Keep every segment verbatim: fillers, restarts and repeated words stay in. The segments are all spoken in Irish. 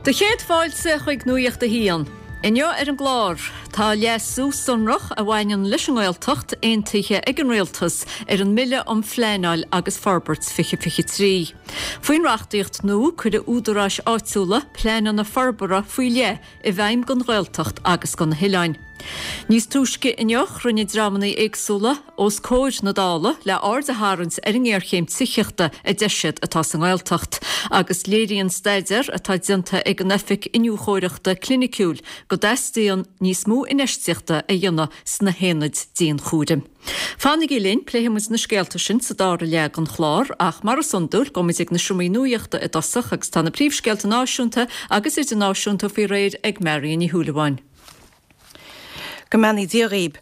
Do chéad fáilte chuig Nuacht a hAon. Inniu ar an gclár tá leasú sonrach a bhaineann leis an nGaeltacht aontaithe ag an rialtas ar an mBille um Phleanáil agus Forbairt fiche fiche trí. Faoin reachtaíocht nua cuirfidh údaráis áitiúla pleananna forbartha faoi leith i bhfeidhm don Ghaeltacht agus do na hoileáin. Níos túisce inniu rinne dreamanna éagsúla os comhair na Dála le aird a tharraingt ar an ngéarchéim tithíochta a deir siad atá sa nGaeltacht, agus léiríonn staidéar atá déanta ag an Oifig Iniúchóireachta Cliniciúil go dteastaíonn níos mó infheistíochta a dhéanamh sna haonaid dianchúraim. Fanaigí linn pléifimid na scéalta sin sa dara leath den chlár ach mar is iondúil gabhfaimid ag na seomraí nuachta i dtosach agus tá na príomhscéalta náisiúnta agus idirnáisiúnta faoi réir ag Marion Ní Shúilleabháin. Go mbeannaí Dia dhaoibh.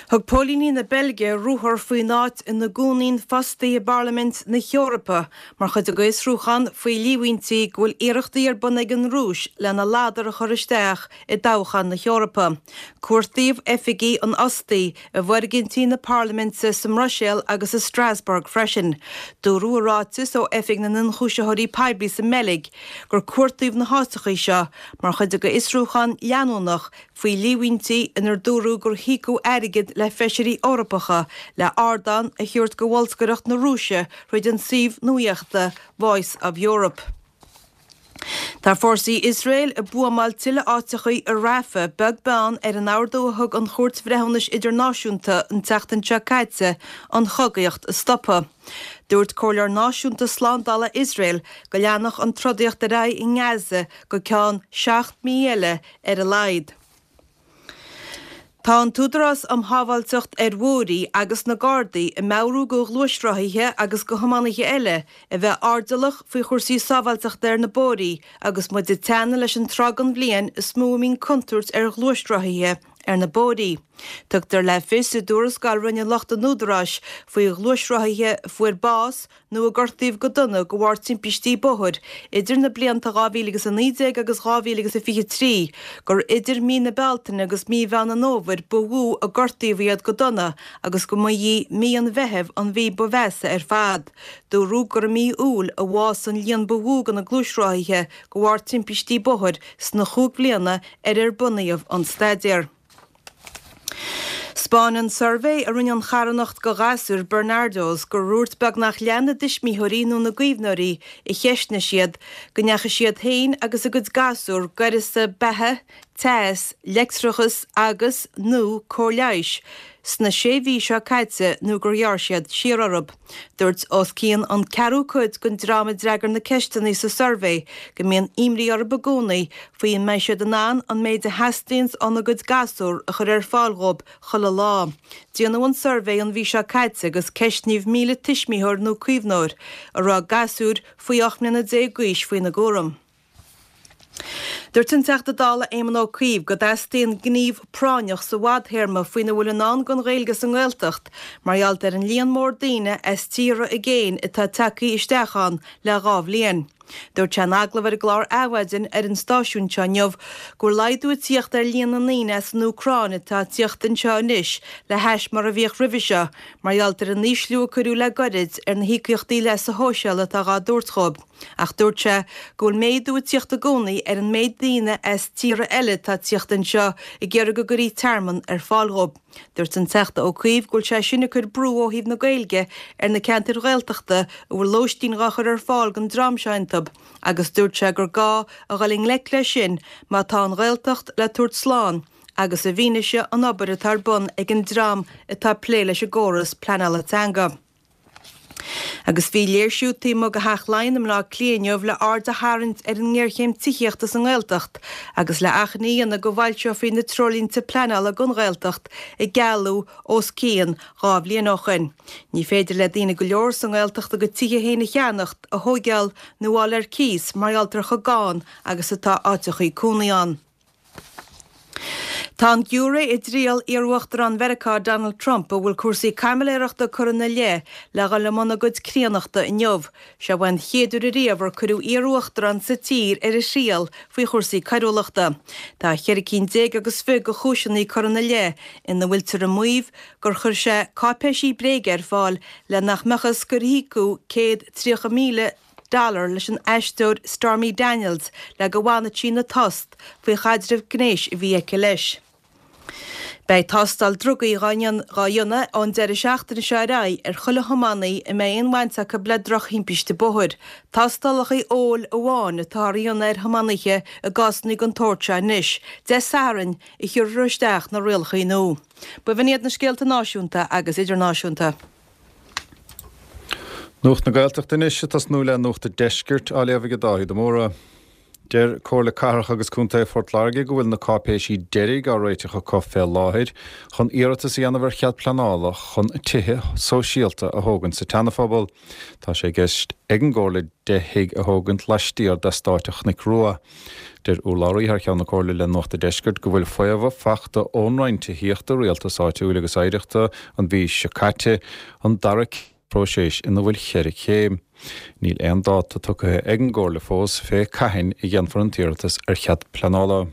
Thug póilíní na Beilge ruathar faoin áit ina gcónaíonn fostaí i bParlaimint na hEorpa mar chuid de fhiosrúchán faoi líomhaintí go bhfuil iarrachtaí ar bun ag an Rúis lena ladar a chur isteach i dtoghchán na hEorpa. Cuartaíodh oifigí an fhostaí i bhfoirgintí na Parlaiminte sa mBruiséil agus i Strasbourg freisin. Dúradh i ráiteas ó Oifig na nIonchúisitheoirí Poiblí sa mBeilg gur cuartaíodh na háiteachaí seo mar chuid de fhiosrúchán leanúnach faoi líomhaintí inar dúradh gur híocadh airgead le feisirí Eorpacha le ardán a thabhairt go bholscaireacht na Rúise thríd an suíomh nuachta Voice of Europe. Tá fórsaí Iosrael ag buamáil tuilleadh áiteachaí i Rafah beag beann ar an ordú a thug an Chúirt Bhreithiúnais Idirnáisiúnta an tseachtain seo caite an chogaíocht a stopadh. Dúirt Comhairleoir Náisiúnta Slándála Iosrael go leanfadh an trodaíocht ar aghaidh i nGaza go ceann seacht mí eile ar a laghad. Tá an tÚdarás um Shábháilteacht ar Bhóithre agus na Gardaí ag meabhrú go ghluaisrothaithe agus go thiománaithe eile a bheith airdeallach faoi chúrsaí sábháilteachta ar na bóithrí agus muid ag teannadh leis an tráth den bhliain is mó a mbíonn contúirt ar ghluaisrothaithe ar na bóithrí. Tugtar le fios i dtuarascáil a rinne lucht an Údaráis faoi ghluaisrothaithe a fuair bás nó a gortaíodh go dona de bharr timpistí bóthair idir na blianta dhá mhíle agus a naoi déag agus dhá mhíle agus a fiche trí, gur idir mí na Bealtaine agus mí Mheán an Fhómhair ba mhó a gortaíodh iad go dona agus go mba í mí an Mheithimh an mhí ba mheasa ar fad. Dúradh gur i mí Iúil a bhásaigh an líon ba mhó de na gluaisrothaithe de bharr timpistí bóthair sna chúig bhliana ar ar bunaíodh an staidéar. 'Spáineann suirbhé a rinne an charthanacht go ghasúir Barnardo's gur dhúirt beagnach leath na dtuismitheoirí nó na gcaomhnóirí a cheistnigh siad go ndeachaigh siad féin agus a gcuid gasúr d'uireasa beatha, teas, leictreachas agus, nó cóir leighis sna sé mhí seo caite nó gur ghearr siad siar orthu. Dúirt os cionn an ceathrú cuid den dream a d'fhreagair na ceisteanna sa suirbhé go mbíonn imní orthu i gcónaí faoi an mbeidh siad in ann an méid a theastaíonns óna gcuid gasúr a chur ar fáil dhóibh chuile lá. Déanadh an suirbhé an mhí seo caite agus ceistníodh míle tuismitheoir nó caomhnóir a raibh gasúir faoi ocht mbliana déag d'aois faoina gcúram. Dúirt an Teachta Dála Éamon Ó Cuív go dteastaíonn gníomh práinneach sa bhfadthéarma faoina bhfuil i ndán don Ghaeilge sa nGaeltacht mar gheall ar an líon mór daoine as tíortha i gcéin atá tagtha isteach ann le dhá bhliain. Dúirt sé in agallamh ar an gclár Adhmhaidin ar an stáisiún seo inniu go bhfuil laghdú ag tíocht ar líon na ndaoine as an Úcráin atá ag tíocht anseo anois le hais mar a bhíodh roimhe seo mar gheall ar an ísliú a cuireadh le goirid ar na híocaíochtaí leasa shóisialaigh atá dhá dtabhairt dhóibh. Ach dúirt sé go bhfuil méadú ag tíocht i gcónaí ar an méid daoine as tíortha eile atá ag tíocht anseo ag iarraidh go gcuirfí tearmann ar fáil dhóibh. Dúirt an Teachta Ó Cuív go bhfuil sé sin ag cur brú ó thaobh na Gaeilge ar na ceantair Ghaeltachta a bhfuil lóistín dhá chur ar fáil don dream seo iontu agus dúirt sé gur gá a dhul i ngleic leis sin má tá an Ghaeltacht le tabhairt slán agus i bhfianaise an obair atá ar bun ag an dream atá ag plé leis an gcóras pleanála teanga. Agus bhí léirsiú taobh amuigh de Theach Laighean i mBleá Cliath inniu le aird a tharraingt ar an ngéarchéim tithíochta sa nGaeltacht agus le achainí a dhéanamh go bhfoilseofaí na treoirlínte pleanála don Ghaeltacht a gealladh os cionn dhá bhliain ó shoin. Ní féidir le daoine go leor sa nGaeltacht a gcuid tithe féin a cheannacht, a thóigeáil nó a fháil ar cíos mar gheall ar chomh gann agus atá áiteachaí cónaí ann. Tá an giúiré i dtriail iar-Uachtarán Mheiriceá Donald Trump, a bhfuil cúrsaí caimiléireachta curtha ina leith, le dhul i mbun a gcuid críonnachta inniu. Seo an chéad uair ariamh ar cuireadh iar-uachtarán sa tír ar a thriail faoi chúrsaí coiriúlachta. Tá cheithre cinn déag agus fiche de chúiseanna curtha ina leith ina bhfuiltear ag maíomh gur chuir sé cáipéisí bréige ar fáil le nach mbeadh fhios gur íocadh céad tríocha míle dollar leis an aisteoir Stormy Daniels le go bhfanfadh sí ina tost faoi chaidreamh gnéis a bhí aici leis. Beidh tástáil drugaí á dhéanamh ón deireadh seachtaine seo ar aghaidh ar chuile thiománaí a mbeidh aon bhaint acu le drochthimpiste bóthair. Tástálacha óil amháin atá á dhéanamh ar thiománaithe i gcásanna den tsórt seo anois, Dé Sathairn a chuirfear isteach na rialacha nua. B'in iad na scéalta náisiúnta agus idirnáisiúnta. Nuacht na Gaeltachta anois ag tosnú le Nuacht an Deiscirt á léamh ag Dáithí de Mórdha. Deir Comhairle Cathrach agus Contae Phort Láirge go bhfuil na cáipéisí deiridh á réiteach acu fé láthair chun iarratas a dhéanamh ar chead pleanála chun tithe sóisialta a thógaint sa tSeanaphobal. Tá sé i gceist ag an gComhairle deich thigh a thógaint laistiar d'eastát an Chnoic Rua. Deir urlabhraí thar cheann na Comhairle le Nuacht an Deiscirt go bhfuil faomhadh fachta ón Roinn Tithíochta, Rialtais Áitiúil agus Oidhreachta an mhí seo caite an dara próiseas ina bhfuil cheithre chéim. Níl aon dáta tugtha ag an gComhairle fós fé cathain a dhéanfar an t-iarratas ar chead pleanála.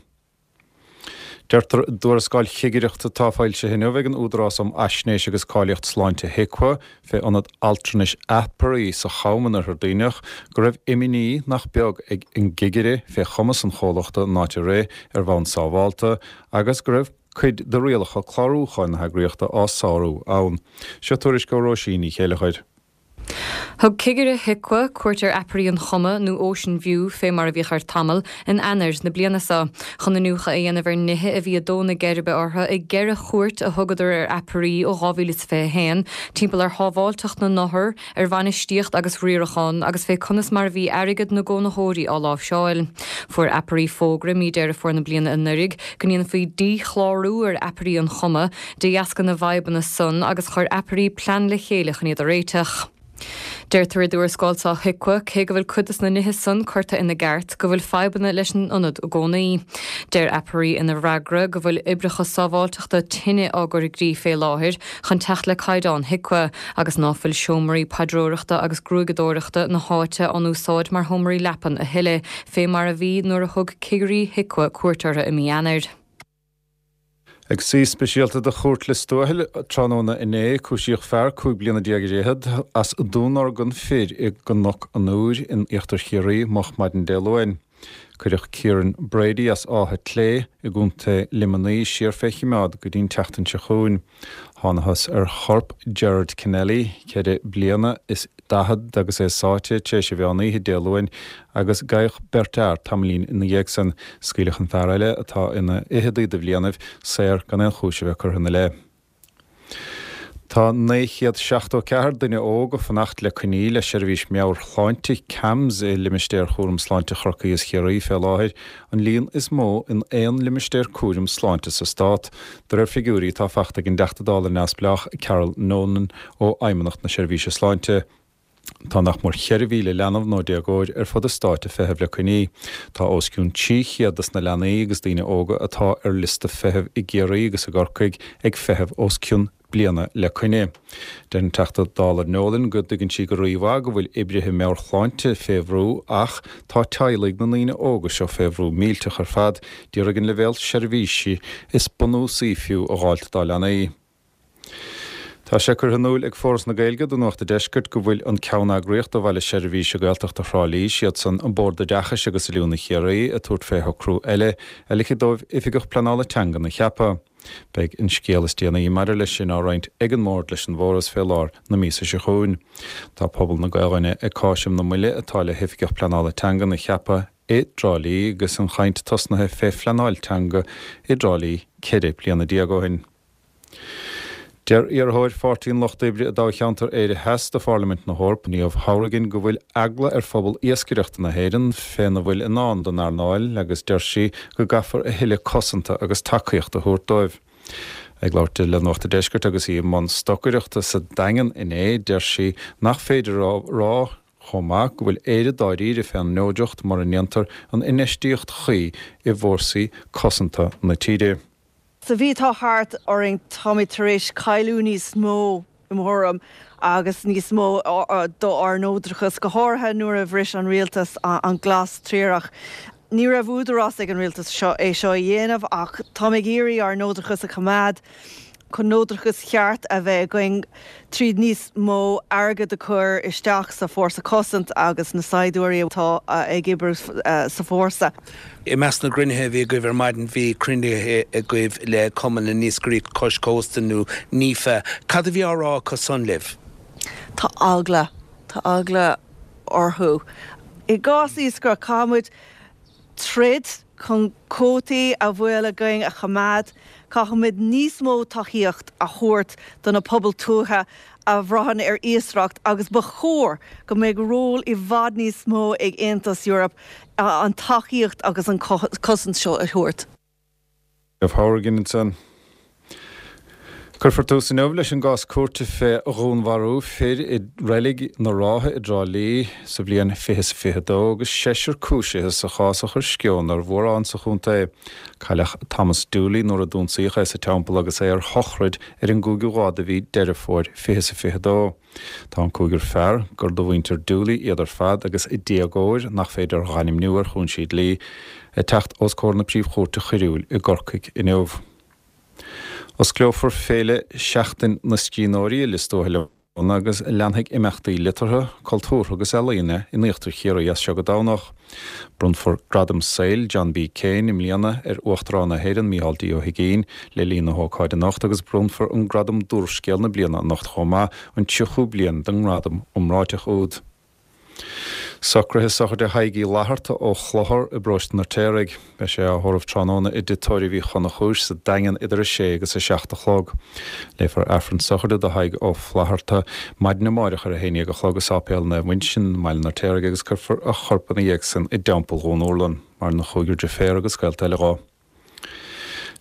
Deirtear i dtuarascáil chigireachta atá foilsithe inniu ag an Údarás um Fhaisnéis agus Cáilíocht Sláinte HIQA fé ionad altranais Aperee sa Cham in Oirthear Duibhneach go raibh imní nach beag ag an gcigire fé chumas an chomhlachta an áit a rith ar bhonn sábhálta agus go raibh cuid de rialacha clárúcháin na heagraíochta á sárú ann. Seo tuairisc ó Róisín Ní Chéileachair. Thug cigire HIQA cuairt ar Aperee an Choma nó Ocean View fé mar a bhíodh air tamall in Eanáir na bliana seo, chun iniúchadh a dhéanamh ar nithe a bhí ag dó na geirbe orthu i gceithre chuairt a thugadar ar Aperee ó dhá mhíle is fiche a haon, timpeall ar shábháilteacht na n-othar, ar bhainistíocht agus riarachán agus fé conas mar a bhí airgead na gcónaitheoirí á láimhseáil. Fuair Aperee fógra mí Deireadh Fómhair na bliana anuraidh go ndéanfaí díchlárú ar Aperee an Choma de dheasca na bhfadhbanna san agus chuir Aperee plean le chéile chun iad a réiteach. Deirtear i dtuarascáil seo HIQA cé go bhfuil cuid de na nithe san curtha ina gceart go bhfuil fadhbanna leis an ionad i gcónaí. Deir Aperee ina bhfreagra go bhfuil oibreacha sábháilteachta tine á gcur i gcrích fé láthair chun teacht le caighdeán HIQA agus ná fuil seomraí paidreoireachta agus gruaigeadóireachta na háite á n-úsáid mar sheomraí leapan a thuilleadh fé mar a bhí nuair a thug cigirí HIQA cuairt orthu i mí Eanáir. Ag suí speisialta de Chúirt Lios Tuathail tráthnóna inné, cúisíodh fear cúig bliana déag ar fhichead as dúnorgain fir i gCnoc an Iúir in Íochtar Chiarraí moch maidin Dé Luain. Cuireadh Kieran Brady as Áth Clé i gContae Luimnigh siar fé choimeád go dtí'n tseachtain seo chugainn. Thángthas ar chorp Gerard Kennelly, ceithre bliana is daichead agus é sáite tar éis an mheán oíche Dé Luain agus gabhadh beirt fhear tamaillín ina dhiaidh san. Scaoileadh an fear eile, atá ina fhicheadaí de bhlianaibh, saor gan aon chúis a bheith curtha ina leith. Tá naoi chéad seachtó ceathair duine óg ag fanacht le coinní le seirbhís meabhairshláinte CAMHS i limistéar chúram sláinte Chorcaí is Chiarraí fé láthair, an líon is mó in aon limistéar cúraim sláinte sa stát, de réir figiúirí atá fachta ag an dTeachta Dála neamhspleách Carol Nolan ó Fheidhmeannacht na Seirbhíse Sláinte. Tá nach mór cheithre mhíle leanbh nó déagóir ar fud an stáit ag feitheamh le coinní. Tá os cionn trí chéad des na leanaí agus daoine óga atá ar liosta feithimh i gCiarraí agus i gCorcaigh ag feitheamh os cionn bliana le coinne. Deir an Teachta Dála Nolan go dtuigeann sí go rímhaith go bhfuil oibrithe meabhairshláinte fé bhrú ach tá teaghlaigh na ndaoine óga seo fé bhrú millteach ar fad d'iarraidh an leibhéal seirbhísí is bunúsaí fiú a dh'fháilt dá leanaí. Tá sé curtha in iúl ag Foras na Gaeilge do Nuacht an Deiscirt go bhfuil an ceanneagraíocht do Bhaile Seirbhíse Gaeltachta Thrá Lí, siadsan an Bord Oideachais agus Oiliúna Chiarraí, ag tabhairt fé shocrú eile a ligfidh dóibh Oifigeach Pleanála Teangan a cheapadh. Beidh an scéal is déanaí maidir leis sin á roinnt ag an mBord leis an bhForas fé lár na míosa seo chugainn. Tá pobal na Gaelainne ag cáiseamh na moille atá le hOifigeach Pleanála Teangan a cheapadh i dTrá Lí agus an chaint tosnaithe fé phleanáil teanga i dTrá Lí ceithre bliana déag ó shin. Deir iarrthóir Pháirtí an Lucht Oibre i dtoghcheantar Éire Theas do Pharlaimint na hEorpa, Niamh Hourigan, go bhfuil eagla ar phobal iascaireachta na hÉireann féna bhfuil i ndán don earnáil agus deir sí go gcaithfear a thuilleadh cosanta agus tacaíochta a thabhairt dóibh. Ag labhairt di le Nuacht an Deiscirt agus í i mbun stocaireachta sa Daingean inné, deir sí nach féidir a rá chomh maith go bhfuil Éire dáiríre fén neodracht mura ndéantar an infheistíocht chuí i bhfórsaí cosanta na tíre. Sa mhí atá thart orainn táimid tar éis cailleadh níos mó i mo thuairim agus níos mó d'ár neodrachas, go háirithe nuair a bhris an rialtas an glas triarach. Ní raibh údarás ag an rialtas seo é seo a dhéanamh ach táim ag iarraidh ár neodrachas a choimeád. Chun neodrachas cheart a bheith againn tríd níos mó airgead a chur isteach sa fórsa cosanta agus na saighdiúirí atá ag obair sa fórsa. I measc na gcruinnithe a bhí agaibh ar maidin bhí cruinnithe agaibh le Cumann na nIascairí Cois Cósta nó NIFA. Cad a bhí á rá acu san libh? Tá eagla, tá eagla orthu. I gcás iascaireacht caithfimid troid chun cuótaí a bhfuil againn a choimeád, caithfimid níos mó tacaíocht a thabhairt do na pobail tuaithe a bhraitheann ar iascaireacht agus ba chóir go mbeidh ról i bhfad níos mó ag Aontas Eorpach an tacaíocht agus an cosaint seo a thabhairt. Niamh Hourigan ansan. Cuirfear tús inniu leis an gcás cúirte fé dhúnmharú fir i Reilig na Rátha i dTrá Lí sa bhliain fiche is a fiche dó agus seisear cúisithe sa chás a chuir sceon ar mhórán sa chontae. Cailleadh Thomas Dooley nuair a d'ionsaíodh é sa teampall agus é ar shochraid ar an gcúigiú lá de mhí Deireadh Fómhair fiche is a fiche dó. Tá an cúigear fear, gur de mhuintir Dooley iad ar fad agus déagóir nach féidir a ainmniú ar chúinsí dlí, ag teacht os comhair na Príomh-Chúirte Choiriúil i gCorcaigh inniu. Osclófar Féile Sheachtain na Scríbhneoirí i Lios Tuathail agus leanfaidh imeachtaí liteartha, cultúrtha agus ealaíne in Íochtar Chiarraí as seo go Domhnach. Bronnfar Gradam Saoil John B. Keane i mbliana ar Uachtarán na hÉireann Micheál D. Ó hUigínn le linn na hócáide anocht agus bronnfar an Gradam d'Úrscéal na Bliana anocht chomh maith, an tríochú bliain den ngradam iomráiteach úd. Socruithe sochraide Thaidhg Uí Fhlatharta ó Chlochar i bparóiste an Fheirtéaraigh. Beidh sé á thórramh tráthnóna i dTigh Tórraimh Uí Chonchúir sa Daingean idir a sé agus a seacht a chlog. Léifear Aifreann sochraide do Thadhg Ó Flatharta maidin amáireach ar a haon dhéag a chlog i Sáipéal Naomh Uinseann i mBaile an Fheirtéaraigh agus cuirfear a chorp ina dhiaidh sin i dTeampall Dhún Úrlann. Maireann a chúigear deirféar agus gaolta eile dhó.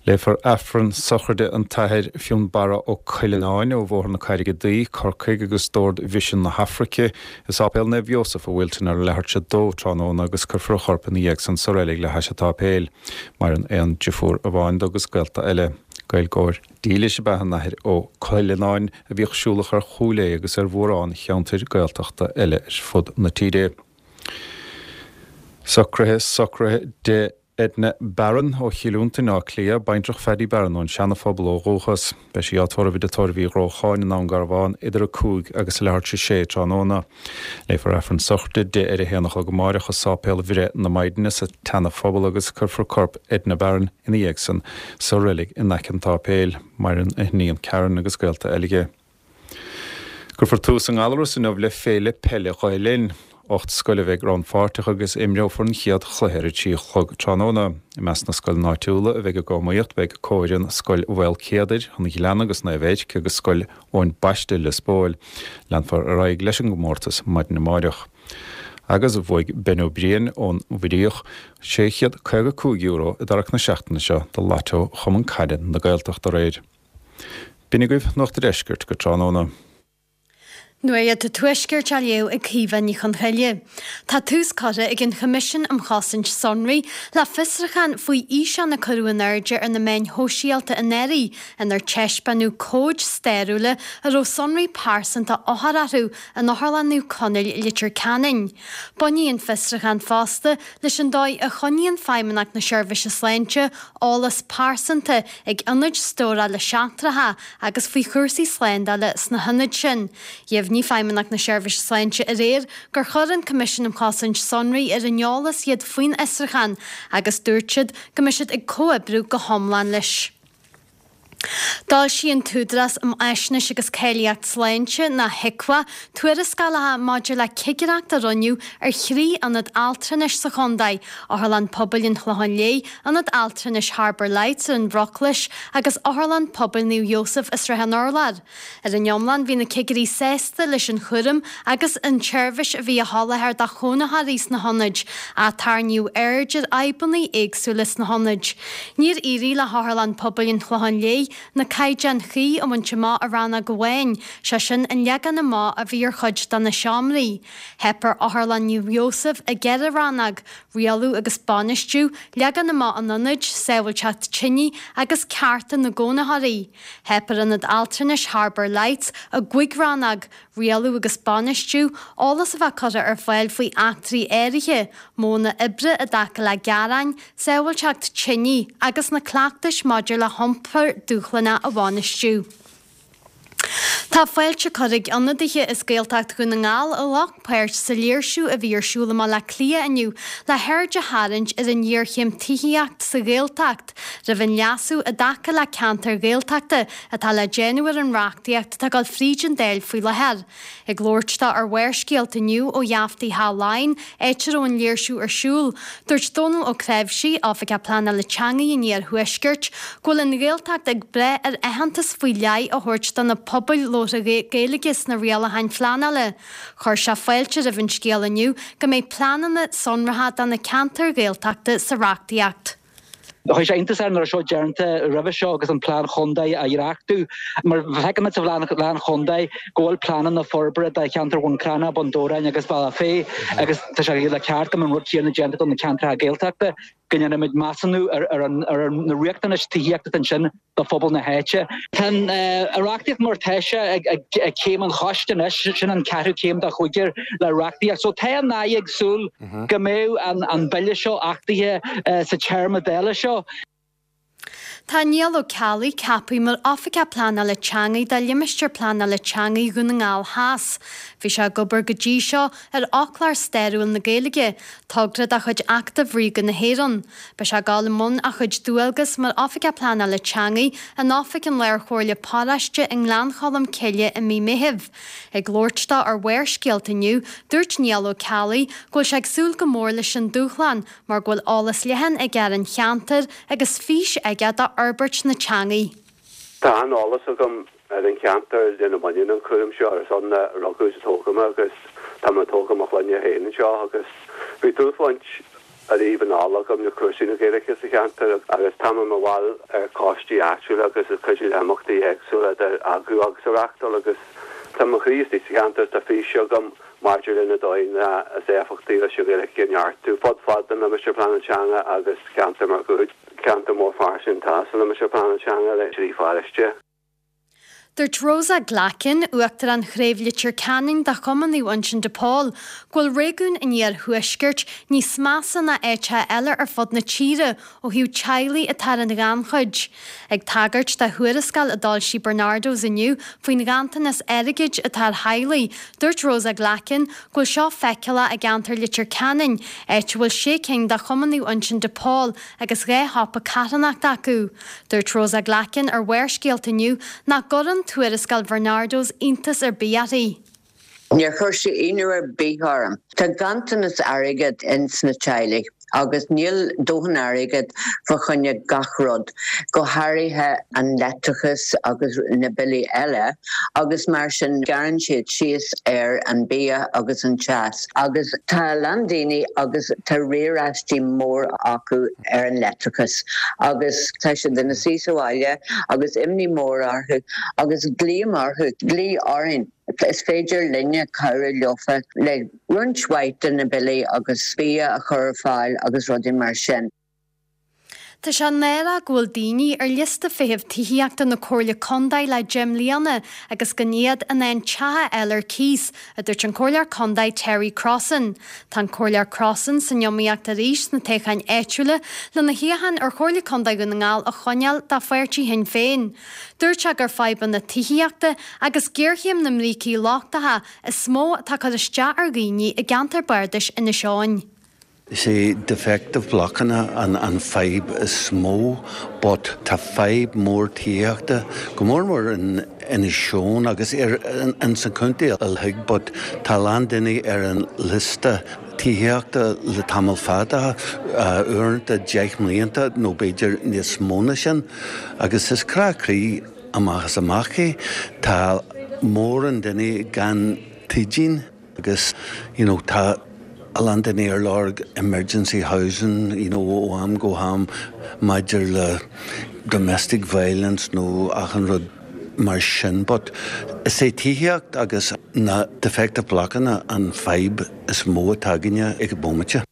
Léifear Aifreann sochraide an tAthair Fionnbarra Ó Cuileanáin ó Bhóthar na Carraige Duí, Corcaigh agus d'Ord Mhisean na hAfraice i Sáipéal Naomh Iósaf i Wilton ar a leathuair tar éis a dó tráthnóna agus cuirfear a chorp ina dhiaidh san sa reilig le hais an tsáipéil. Maireann aon deirfiúr amháin dó agus gaolta eile. Gaeilgeoir dílis ab ea an tAthair Ó Cuileanáin a bhíodh siúlach ar Chúil Aodha agus ar mhórán cheantair Gaeltachta eile ar fud na tíre. Socruithe sochraide de Edna Barron ó Chill Fhionntain, Áth Cliath, baintreach Phaddy Barron ón Seana-Phobal ó dhúchas. Beidh sí á tórramh i dTigh Tórraimh Uí Ghrócháin i nDún Garbhán idir a cúig agus a leathuair tar éis a sé tráthnóna. Léifear Aifreann sochraide di ar a haon a chlog amáireach i Sáipéal Bhreith na Maighdine sa tSeana-Phobal agus cuirfear corp Edna Barron ina dhiaidh san sa reilig in aice an tsáipéil. Maireann a hiníon Karen agus gaolta eile di. Cuirfear tús i nGallaras inniu le Féile Peile Ghael Linn. Ocht scoil a bheidh rannpháirteach agus imreofar an chéad chluiche ar a trí a chlog tráthnóna. I measc na scoileanna áitiúla a bheidh ag iomaíocht beidh comhfhoireann Scoil Mhaolcéadair, an Ghleanna agus Naomh Eirc agus Scoil Eoin Baiste, Lios Póil. Leanfar ar aghaidh leis an gcomórtas maidin amáireach. Agus bhuaigh Ben Ó Briain ón Mhuiríoch sé chéad caoga cúig euro i dtarrac na seachtaine seo do Lotto Chumann Caide na Gaeltachta aréir. B'in agaibh Nuacht an Deiscirt go tráthnóna. Nuacht an Tuaiscirt á léamh ag Caoimhe Ní Chonchoille. Tá tús curtha ag an Choimisiún um Chosaint Sonraí le fiosrúchán faoi fhíseán a cuireadh in airde ar na meáin shóisialta anuraidh inar taispeánadh comhaid stairiúla a raibh sonraí pearsanta othar orthu in Otharlann Naomh Conaill, Leitir Ceanainn. Bainfidh an fiosrúchán fosta leis an dóigh a choinníonn Feidhmeannacht na Seirbhíse Sláinte eolas pearsanta ag ionaid stórála seachtracha agus faoi chúrsaí slándála sna hionaid sin. Dheimhnigh Feidhmeannacht na Seirbhíse Sláinte aréir gur chuir an Coimisiún um Chosaint Sonraí ar an eolas iad faoin fhiosrúchán agus dúirt siad go mbeidh siad ag comhoibriú go hiomlán leis. D'fhoilsigh an tÚdarás um Fhaisnéis agus Cáilíocht Sláinte, nó HIQA, tuarascálacha maidir le cigireacht a rinneadh ar thrí ionad altranais sa chontae, Otharlann Pobail an Chlocháin Léith, Ionad Altranais Harbour Lights ar an Bhruclais agus Otharlann Pobail Naomh Iósaf i Srath an Urláir. Ar an iomlán, bhí na cigirí sásta leis an chúram agus an tseirbhís a bhí á sholáthar do chónaitheoirí sna hionaid, ach tarraingíodh aird ar fhadhbanna éagsúla sna hionaid. Níor éirigh le hOtharlann Pobail an Chlocháin Léith na caighdeáin chuí a bhaint amach i rannóg amháin, sé sin an leagan amach a bhí ar chuid de na seomraí. Theip ar Otharlann Naomh Iósaf i gceithre rannóg, rialú agus bainistiú, leagan amach an ionaid, sábháilteacht tine agus cearta na gcónaitheoirí. Theip ar Ionad Altranais Harbour Lights i gcúig rannóg, rialú agus bainistiú, eolas a bheith curtha ar fáil faoi eachtraí áirithe, modhanna oibre i dtaca le gearáin, sábháilteacht tine agus na cleachtais maidir le hiompar dúshlánach. dúshlánach a bhainistiú. Tá fáilte curtha ag ionadaithe as Gaeltacht Dhún na nGall a ghlac páirt sa léirsiú a bhí ar siúl i mBaile Átha Cliath inniu le haird a tharraingt ar an ngéarchéim tithíochta sa Ghaeltacht roimh an leasú i dtaca le ceantair Ghaeltachta atá le déanamh ar an reachtaíocht atá ag dul fríd an Dáil faoi láthair. Ag labhairt dó ar Bharrscéalta inniu ó gheaftaí Theach Laighean, áit a raibh an léirsiú ar siúl, dúirt Dónal Ó Cnáimhsí, Oifigeach Pleanála Teanga an Iarthuaiscirt, go bhfuil an Ghaeltacht ag brath ar aitheantas faoi leith a thabhairt do na pobail labhartha Gaeilge sna rialacháin phleanála. Chuir sé fáilte roimh an scéal inniu go mbeidh pleananna sonracha do na ceantair Ghaeltachta sa reachtaíocht. Chuir sé iontas air nach raibh seo déanta roimhe seo agus an plean chontae á dhréachtú. Mar feicimid sa phlean chontae go bhfuil pleananna forbartha do cheantar Bhun Cranncha, Bun Dobhráin agus Bealach Féich agus tá sé le ceart go mbeadh an rud céanna déanta do na ceantracha Gaeltachta. go ndéanfaimid measúnú ar ar na riachtanais tithíochta ansin do phobal na háite. Tá an reachtaíocht mar atá sé ag céim an choiste anois, sin an ceathrú céim de chúigear le reachtaíocht. So tá an Aire ag súil go mbeidh an bille seo achtaithe sa téarma Dála seo. Tá Niall Ó Ceallaigh ceaptha mar Oifigeach Pleanála Teanga do Limistéar Pleanála Teanga Dhún na nGall Theas. Bhí sé ag obair go dtí seo ar Fhoclóir Stairiúil na Gaeilge, togra de chuid Acadamh Ríoga na hÉireann. Beidh sé ag dul i mbun a chuid dualgas mar Oifigeach Pleanála Teanga in Oifig an Lárchomhairle Paróiste i nGleann Cholm Cille i mí Meithimh. Ag labhairt dó ar Bharrscéalta inniu, dúirt Niall Ó Ceallaigh go bhfuil sé ag súil go mór leis an dúshlán mar go bhfuil eolas leathan aige ar an cheantar agus fís aige do fhorbairt na teanga. Tá an-eolas agam ar an cheantar lena mbaineann an cúram seo, is ann a rugadh is a tógadh mé agus tá mé ag tógáil mo chlainne féin anseo agus bhí dúshláint ariamh anall agam le cúrsaí na Gaeilge sa cheantar agus tá mé i mo bhall ar choistí áitiúla agus ag cuidiú le himeachtaí éagsúla idir eagrú agus a reáchtáil agus tá mo chroí istigh sa cheantar is tá fís agam maidir le na dóigheanna is éifeachtaí leis an Ghaeilge a neartú fud fad an Limistéir Pleanála Teanga agus ceantar máguaird, ceantar mór fairsing atá sa Limistéar Pleanála Teanga le trí pharóiste. Dúirt Rosa Glackin, Uachtarán Chraobh Leitir Ceanainn de Chumann Naomh Uinseann de Pól, go bhfuil réigiún an iarthuaiscirt níos measa ná áiteacha eile ar fud na tíre ó thaobh teaghlaigh atá ar an ghannchuid. Ag tagairt do thuarascáil a d'fhoilsigh Barnardo's inniu faoin ghanntanas airgid atá ar theaghlaigh, dúirt Rosa Glackin go bhfuil seo feiceálach i gceantar Leitir Ceanainn, áit a bhfuil sé cinn de Chumann Naomh Uinseann de Pól agus dhá shiopa carthanachta acu. Dúirt Rosa Glackin ar Bharrscéalta inniu nach gcuireann tuarascáil Bharnardo's iontas ar bith uirthi. Níor chuir sé ionadh ar bith orm. Tá ganntanas airgid ins na teaghlaigh agus níl dóthain airgid fá choinne gach rud, go háirithe an leictreachas agus na billí eile agus mar sin gearrann siad síos ar an bia agus an teas agus tá a lán daoine agus tá riaráistí mór acu ar an leictreachas agus tá siad ina suí sa bhaile agus imní mór orthu agus glaoim orthu, glaoigh orainn. Is féidir linne cabhrú leofa le roinnt mhaith de na billí agus bia a chur ar fáil agus rudaí mar sin. Tá sé náireach go bhfuil daoine ar liosta feithimh tithíochta na Comhairle Contae le deich mbliana agus gan iad in ann teach a fháil ar cíos, a dúirt an Comhairleoir Contae Terry Crossan. Tá an Comhairleoir Crossan san iomaíocht arís sna toghcháin áitiúla lena shuíochán ar Chomhairle Contae Dhún na nGall a choinneáil do pháirtí Shinn Féin. Dúirt sé gur fadhbanna tithíochta agus géarchéim na mbrící lochtacha is mó atá ag cur isteach ar dhaoine i gceantar bardais Inis Eoghain. Is é defective blockanna an an fadhb is mó, but tá fadhb mór tithíochta go mór mór in Inis Eoghain agus ar in san contae uilig, but tá a lán daoine ar an liosta tithíochta le tamall fada, uaireanta deich mblianta nó b'fhéidir níos mó ná sin, agus is crá croí amach is amach é. Tá mórán daoine gan tithíocht agus you know tá a lán daoine ar lorg emergency housing you know ó am go ham maidir le domestic violence nó achan rud mar sin but is é tithíocht agus na defective blockanna an fadhb is mó atá againne ag an bhomaite.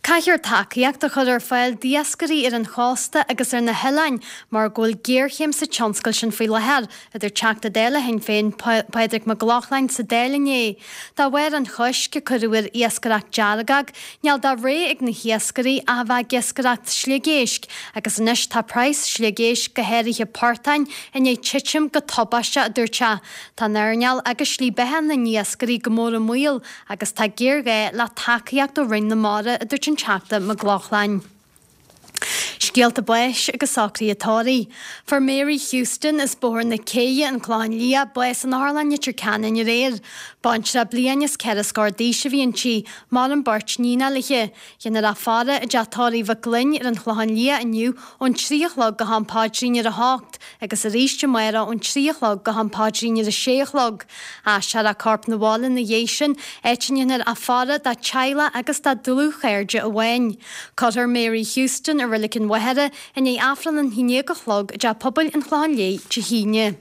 Caithfear tacaíocht a chur ar fáil d'iascairí ar an chósta agus ar na hoileáin mar go bhfuil géarchéim sa tionscal sin faoi láthair, a dúirt Teachta Dála Shinn Féin Pádraig Mac Lochlainn sa Dáil inné. De bharr an choisc a cuireadh ar iascaireacht deargóg, níl de rogha ag na hiascairí ach a bheith ag iascaireacht sliogéisc agus anois tá praghas sliogéisc, go háirithe portáin, i ndiaidh titim go tubaisteach, a dúirt sé. Tá an earnáil agus slí beatha na n-iascairí go mór i mbaol agus tá géarghá le tacaíocht ó Roinn na Mara, a dúirt an Teachta Mac Lochlainn. Scéalta báis agus socruithe tórraimh. Fuair Mary Houston as Bóthar na Céidhe, An Clochán Liath, bás in Otharlann Leitir Ceanainn aréir. Baintreach bliain is ceithre scór d'aois a bhí inti. Maireann beirt níonacha léi. Déanfar í a fhaire i dteach tórraimh Mhic Gloinn ar an Chlochán Liath inniu ón trí a chlog go ham paidrín ar a hocht agus arís amárach ón trí a chlog go ham paidrín ar a sé a chlog. Aistreofar a corp 'na bhaile ina dhiaidh sin, áit a ndéanfar a faire dá teaghlach agus dá dlúthchairde amháin. Cuirfear Mary Houston i Reilig an Mhachaire i ndiaidh Aifreann an haon déag a chlog i dTeach Pobail an Chlocháin Léith Dé hAoine.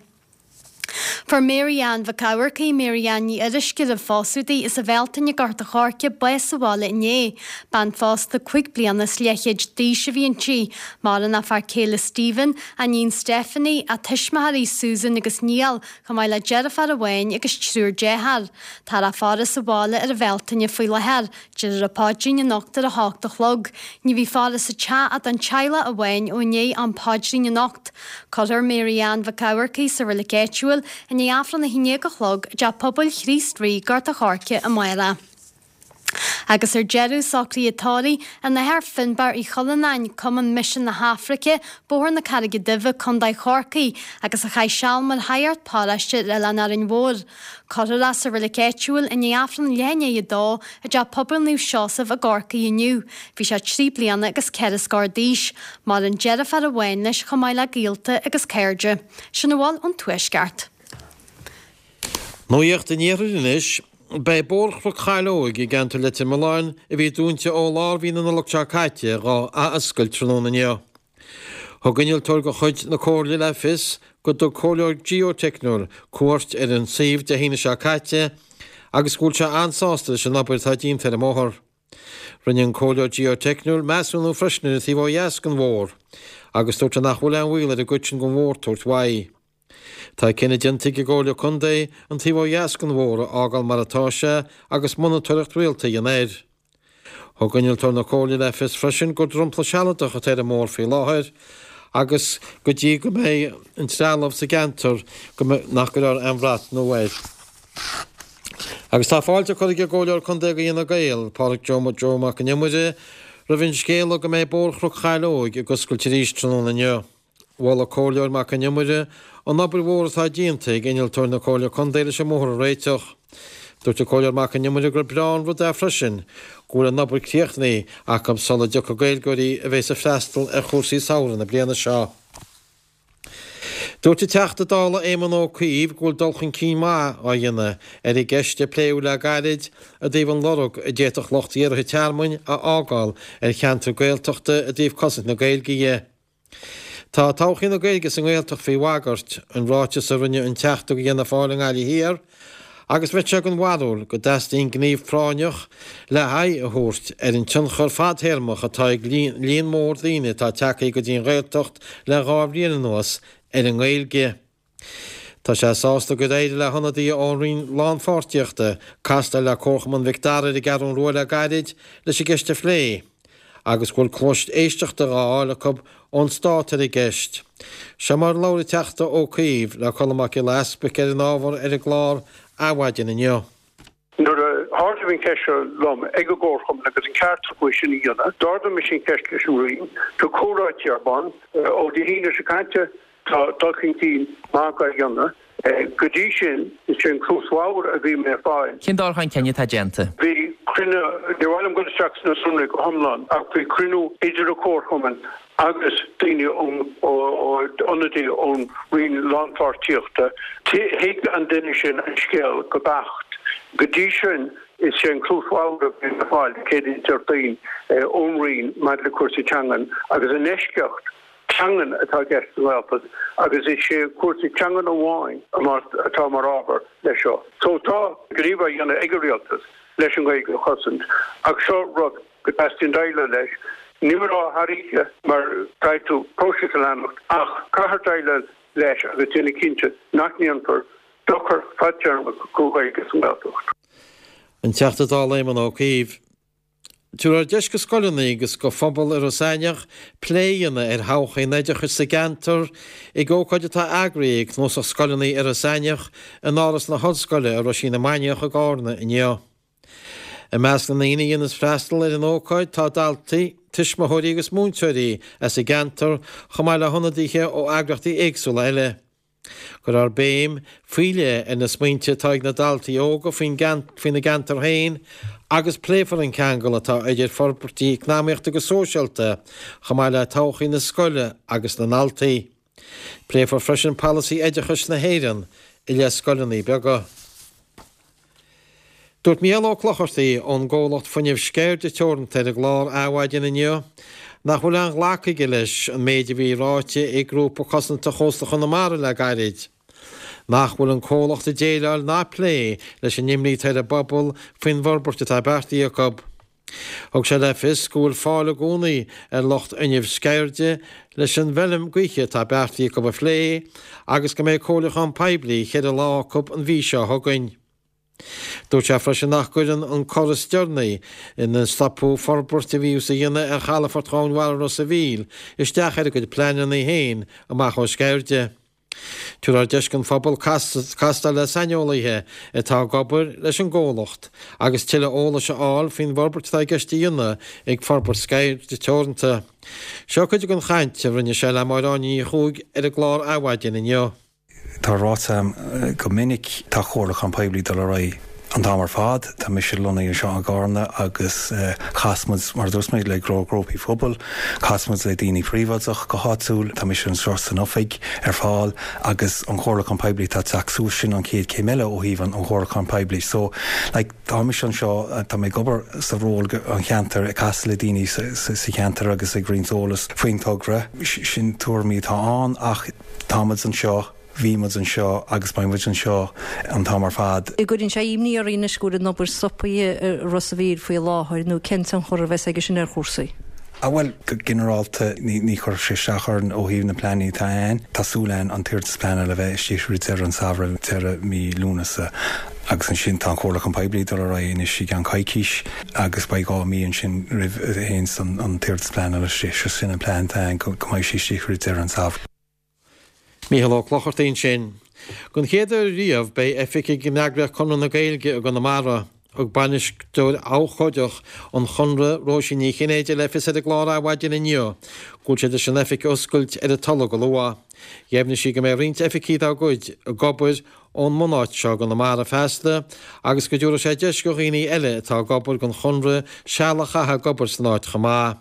Fuair Mary Ann Mhic Eamharcaigh, Mary Ann Ní Fhuirisce roimh phósadh di, as an Bhealtaine i nGort a' Choirce, bás sa bhaile inné. Bean phósta cúig bliana is leathchéad d'aois a bhí inti. Maireann a fear céile Stephen, a níon Stephanie, a tuismitheoirí Susan agus Niall, chomh maith le deirfiúr amháin agus triúr dearthár. Táthar á faire sa bhaile ar an Bhealtaine faoi láthair. Déarfar an paidrín anocht ar a hocht a chlog. Ní bheidh faire sa teach ach don teaghlach amháin ó i ndiaidh am paidrín anocht. Cuirfear Mary Ann Mhic Eamharcaigh sa reilig áitiúil i ndiaidh Aifreann a haon déag a chlog i dTeach Pobail Chríost Rí, Gort a' Choirce amárach. Agus ar deireadh, socruithe tórraimh an Athar Finbarr Uí Chuilleanáin, Cumann Misean na hAfraice, Bóthar na Carraige Duibhe, Contae Chorcaí, agus a chaith seal mar shagart paróiste ar Oileán Árainn Mhór. Cuirfear é sa reilig áitiúil i ndiaidh Aifreann leath i ndiaidh a dó i dTeach Pobail Naomh Seosamh i gCorcaigh inniu. Bhí sé trí bliana agus ceithre scór d'aois. Maireann deirfiúr amháin leis chomh maith le gaolta agus cairde. Sin a bhfuil ón Tuaisceart. Nuacht an Iarthair anois. Beidh Bóthar Chnoc Chaileoig i gceantar Leitir Mealláin, a bhí dúnta ó lár mhí na Nollag seo caite, dhá athoscailt tráthnóna inniu. Thug innealtóir de chuid na Comhairle le fios go dtug comhairleoir geoteicniúil cuairt ar an suíomh Dé hAoine seo caite agus go bhfuil sé an-sásta leis an obair atá déanta ar an mbóthar. Rinne an comhairleoir geoteicniúil measúnú freisin ar an taobh ó dheas den bhóthar agus dúirt sé nach bhfuil aon bhaol ar an gcuid sin den bhóthar tabhairt uaidh. Tá cinneadh déanta ag an gComhairle Contae an taobh ó dheas den bhóthar a fhágáil mar atá sé agus monatóireacht rialta a dhéanamh air. Thug innealtóir na Comhairle le fios freisin gur dromchla sealadach atá ar an mbóthar faoi láthair agus go dtí go mbeidh an trealamh sa gceantar go nach gcuirfear aon bhrat nua air. Agus tá fáilte curtha ag an gComhairleoir Contae do Fhine Gael, Pádraig Joe Joe Mac an Iomaire, roimh an scéala go mbeidh Bóthar Chnoc Chaileoig ag oscailt arís tráthnóna inniu. Mhol an Comhairleoir Mac an Iomaire an obair mhór atá déanta ag innealtóir na Comhairle Contae leis an mbóthar a réiteach. Dúirt an Comhairleoir Mac an Iomaire gur breá an rud é freisin go bhfuil an obair críochnaithe acu sula dtiocfaidh Gaeilgeoirí a bheas ag freastal ar chúrsaí samhraidh na bliana seo. Dúirt an Teachta Dála Éamon Ó Cuív go bhfuil dul chun cinn maith á dhéanamh ar an gceist a pléadh le gairid i dtaobh an lorg a d'fhéadfadh lucht iarrtha tearmainn a fhágáil ar cheantar Gaeltachta i dtaobh cosaint na Gaeilge dhe. Tá todhchaí na Gaeilge sa nGaeltacht faoi bhagairt, an ráiteas a rinne an Teachta do Fhianna Fáil i nGaillimh Thiar, agus bheadh sé den bharúil go dteastaíonn gníomh práinneach le haghaidh a thabhairt ar an tionchar fadtéarmach atá ag líon mór daoine atá tagtha go dtí an Ghaeltacht le dhá bhliain anuas ar an nGaeilge. Tá sé sásta gur éirigh le hionadaithe ón Roinn Lánpháirtíochta castáil le Comharchumann Mhic Dara ar an gCeathrú Rua le gairid leis an gceist a phlé agus go bhfuil cluas éisteachta dhá fháil acu ón Stát ar an gceist. Seo mar a labhair an Teachta Ó Cuív le Colm Mac Giolla Easbuic ar an ábhar ar an gclár Adhmhaidin inniu. Nuair a hardaíodh an cheist seo liom ag an gComharchumann agus an ceart acu é sin a dhéanamh, d'ardaigh mise an cheist leis an Roinn. Tá comhráití ar bun. Ó Dé hAoine seo caite, Tá dul chun cinn maith á dhéanamh. Go dtí sin, is é an cluas bhodhar a bhí mé ag fáil. Cén dul chun cinn atá déanta? Bhí cruinniú, níor mhaith liom dul isteach sna sonraí go hiomlán, ach bhí cruinniú idir an Comharchumann agus daoine ón, ionadaí ón Roinn Lánpháirtíochta. Thuig an duine sin an scéal go beacht. Go dtí sin, is é an cluas bhodhar a bhí mé ag fáil Céadaoin Déardaoin ón Roinn maidir le cúrsaí teangan agus in eisceacht teangan atá i gceist sa nGaeltacht agus is é cúrsaí teangan amháin atá mar ábhar leis seo. So tá gníomh á dhéanamh ag an Rialtas leis an Ghaeilge a chosaint ach seo rud go dteastaíonn déileáil leis. Ní mé rá thar oíche mar caithfidh tú próiseas a leanacht ach caithfear déileáil leis agus déanamh cinnte nach ndéanfar dochar fadtéarmach don Ghaeilge sa nGaeltacht. An Teachta Dála Éamon Ó Cuív. Tabharfar deis go scoileanna agus go phobal i Ros Eanaigh plé a dhéanamh ar thodhchaí an oideachais sa gceantar ag ócáid atá eagraithe ag Cnuasach Scoileanna Iorras Aithneach in Áras na hOllscoile i Roisín na Mainiach i gCarna inniu. I measc na ndaoine a dhéanas freastal ar an ócáid tá daltaí, tuismitheoirí agus múinteoirí as an gceantar chomh maith le hionadaithe ó eagraíochtaí éagsúla eile. Cuirfear béim faoi leith ar na smaointe atá ag na daltaí óga faoina gceantar féin agus pléifear an ceangal atá idir forbairtí eacnamaíochta agus sóisialta chomh maith le todhchaí na scoile agus na ndaltaí. Pléifear freisin polasaí oideachais na hÉireann i leith scoileanna beaga. Dúirt Mícheál Ó Clochartaigh ón gcomhlacht fuinnimh Sceirde Teoranta ar an gclár Adhmhaidin inniu nach bhfuil aon ghlacadh aige leis an méid a bhí ráite ag Grúpa Cosanta Chósta Chonamara le gairid, nach bhfuil an comhlacht ag déileáil ná ag plé leis an imní atá ar an bpobal faoin bhforbairt atá beartaithe acu. Thug sé le fios go bhfuil fáil i gcónaí ar lucht fhuinnimh Sceirde leis an bhfeilm gaoithe atá beartaithe acu a phlé agus go mbeidh comhairliúchán poiblí cheithre lá acu an mhí seo chugainn. Dúirt sé freisin nach gcuireann an cor is deireanaí ina stopadh forbairt a bhíothas a dhéanamh ar chalafort Dhomhain Mhara Ros a' Mhíl isteach ar a gcuid pleananna féin amach ó Sceirde. Tabharfar deis don phobal castáil le saineolaithe atá ag obair leis an gcomhlacht agus tuilleadh eolais a fháil faoin bhforbairt atá i gceist a dhéanamh ag Forbairt Sceirde Teoranta. Seo cuid den chaint a rinne sé le Máire Áine Ní Chuaig ar an gclár Adhmhaidin inniu. Tá ráite agam go minic, tá comhairliúchán poiblí ag dul ar aghaidh an t-am ar fad. Tá mise lonnaithe anseo i gCarna agus chas muid, mar a dúirt mé, le go leor grúpaí phobail, chas muid le daoine príobháideach go háitiúil. Tá mise anseo san oifig ar fáil agus an comhairliúchán poiblí atá ag teacht suas, sin an chéad chéim eile ó thaobh an chomhairliúcháin poiblí. So, like, tá mise anseo, tá mé ag obair sa ról an cheantair, ag casadh le daoine sa cheantar agus ag roinnt eolas faoin togra. Sin tuairimí atá ann ach tá muid anseo, bhí muid anseo agus beidh muid anseo an t-am ar fad. An gcuireann sé imní oraibh anois go bhfuil an obair stoptha i Ros a' Mhíl faoi láthair nó cén tionchar a bheas aige sin ar chúrsaí? Ah bhuel, go ginearálta ní chuirfidh sé isteach orainn ó thaobh na pleananna atá ann. Tá súil againn an t-iarratas pleanála a bheith istigh roimh deireadh an samhradh, deireadh mí Lúnasa. Agus ansin tá an comhairliúchán poiblí ag dul ar aghaidh anois i gceann coicís agus beidh dhá mhí ansin roimh a théanns an t-iarratas pleanála istigh. So sin an plean atá ann, go mbeidh sé istigh roimh deireadh an samhradh. Mícheál Ó Clochartaigh ansin. Don chéad uair riamh beidh oifig ag an eagraíocht Conradh na Gaeilge i gConamara. Thug Bainisteoir Abhcóideach an Chonradh, Róisín Ní Chinnéide le fios ar an gclár Adhmhaidin inniu go bhfuil siad leis an oifig a oscailt ar an tolg go luath. Dheimhnigh sí go mbeidh roinnt oifigigh dá gcuid ag obair ón mbunáit seo i gConamara feasta agus go dtabharfaidh sé deis do dhaoine eile atá ag obair don Chonradh seal a chaitheamh ag obair san áit chomh maith.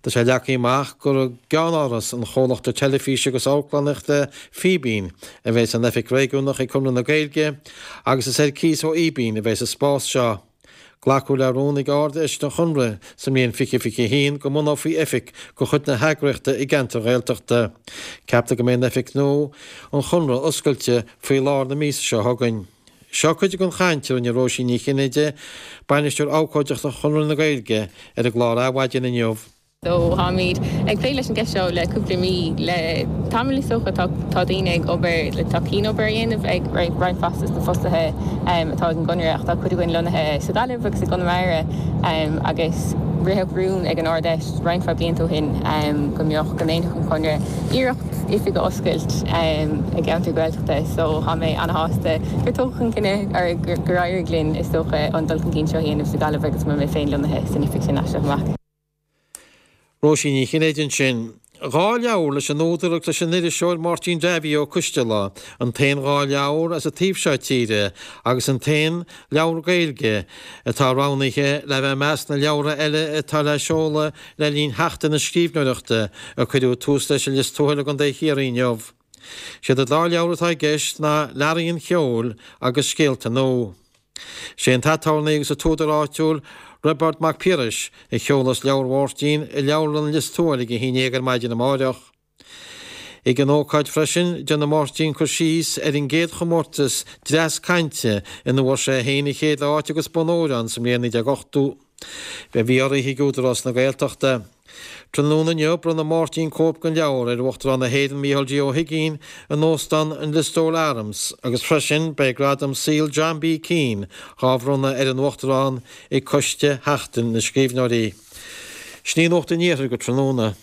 Tá sé leagtha amach gur i gceannáras an chomhlachta teilifíse agus amharclannaíochta Fíbín a bheas an oifig réigiúnach ag Conradh na Gaeilge agus is ar cíos ó Fhíbín a bheas an spás seo. Glacadh le rún ag Ard-Fheis an Chonradh sa mbliain fiche fiche a haon go mbunófaí oifig de chuid na heagraíochta i gceantar Ghaeltachta. Ceaptar go mbeidh an oifig nua an Chonradh oscailte faoi lár na míosa seo chugainn. Seo cuid den chaint a rinne Róisín Ní Chinnéide, Bainisteoir Abhcóideachta Chonradh na Gaeilge, ar an gclár Adhmhaidin inniu. So táimid ag plé leis an gceist seo le cúpla mí, le tamall is dócha. Tá tá daoine ag obair, tá cianobair á dhéanamh ag roinnt mhaith de na fostaithe atá ag an gConradh ach tá cuid againn lonnaithe sa Ghaillimh agus i gConamara agus ritheadh rún ag an Ard-Fheis roinnt mhaith blianta ó shin go mbeadh, go ndéanfadh an Conradh iarracht oifig a oscailt i gceantar Gaeltachta so tá mé ana-shásta gur tógadh an cinneadh or gur éirigh linn is dócha an dul chun cinn seo a dhéanamh sa Ghaillimh agus go mbeidh mé féin lonnaithe san oifig sin as seo amach. Róisín Ní Chinnéide ansin. Dhá leabhar leis an údar agus leis an iriseoir Máirtín Davy Ó Coisteala, an t-aon dhá leabhar as an taobh seo tíre agus an t-aon leabhar Gaeilge atá roghnaithe le bheith i measc na leabhartha eile atá le seoladh le linn Sheachtain na Scríbhneoireachta a cuireadh tús leis i Lios Tuathail i gContae Chiarraí inniu. Siad an dá leabhar atá i gceist ná Learaí an Cheoil agus Scéalta Nua. Sé an t-aturnae agus an t-údar áitiúil Roibeárd Mac Piarais a sheolfas leabhar Mháirtín i Leabharlann Lios Tuathail ag a haon déag ar maidin amáireach. Ag an ócáid freisin, déanfaidh Máirtín cur síos ar an gcéad chomórtas dreas cainte ina bhfuair sé féin an chéad áit agus bonn óir ann sa mbliain naoi déag ochtó a bhí urraithe ag Údarás na Gaeltachta. Tráthnóna inniu, bronnfaidh Máirtín cóip den leabhar ar Uachtarán na hÉireann Micheál D. Ó hUigínn in Óstán an Listowel Arms agus freisin beidh Gradam Saoil John B. Keane dhá bhronnadh ar an Uachtarán ag Coiste Sheachtain na Scríbhneoirí. Sin í Nuacht an Iarthair go tráthnóna.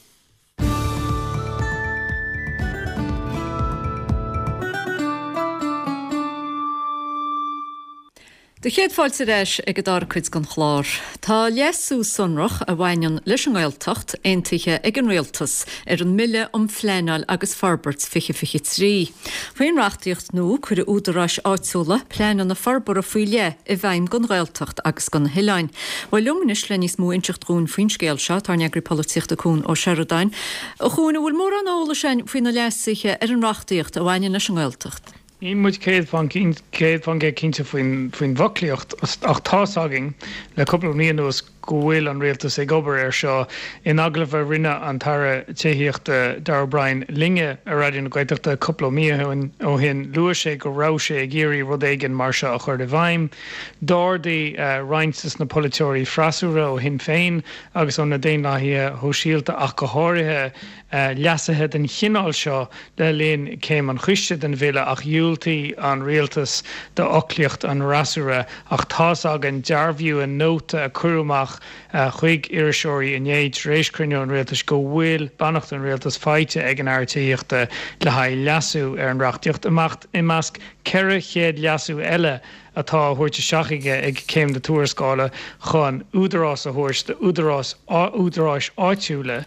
Do chéad fáilte ar ais ag an dara cuid den chlár. Tá leasú sonrach a bhaineann leis an nGaeltacht aontaithe ag an Rialtas ar an mBille um Phleanáil agus Forbairt fiche fiche trí. Faoin reachtaíocht nua cuirfidh údaráis áitiúla pleananna forbartha faoi leith i bhfeidhm don Ghaeltacht agus do na hoileáin. Bhuel liom anois le níos mó a inseacht dhúinn faoin scéal seo tá ár n-eagraí polaitíochta Cuan Ó Seireadáin. A Chuain, an bhfuil mórán eolais againn faoi na leasuithe ar an reachtaíocht a bhaineann leis an nGaeltacht? Níl muid céad faoin céad faoin gcéad cinnte faoin faoin bhfoclaíocht ach tá's againn le cúpla mí anuas go bhfuil an rialtas ag obair air seo. In agallamh a rinne an tAire Tithíochta Darragh O'Brien linne ar Raidió na Gaeltachta cúpla mí ó shin, luaigh sé go raibh sé ag iarraidh rud éigin mar seo a chur i bhfeidhm. D'ardaigh roinnt de na polaiteoirí freasúra ó Shinn Féin agus ó na Daonlathaithe Shóisialta ach go háirithe, leasuithe den chineál seo le linn céim an choiste den bhille ach dhiúltaigh an rialtas d'fhoclaíocht an fhreasúra. Ach tá's againn, dearbhaíodh i nóta a cuireadh amach chuig iriseoirí inné tar éis cruinniú an rialtais go bhfuil beannacht an rialtais faighte ag an Aire Tithíochta le haghaidh leasú ar an reachtaíocht, i measc ceithre chéad leasú eile atá á thabhairt isteach aige ag céim na tuarascála chun údarás a thabhairt d'údaráis údaráis áitiúla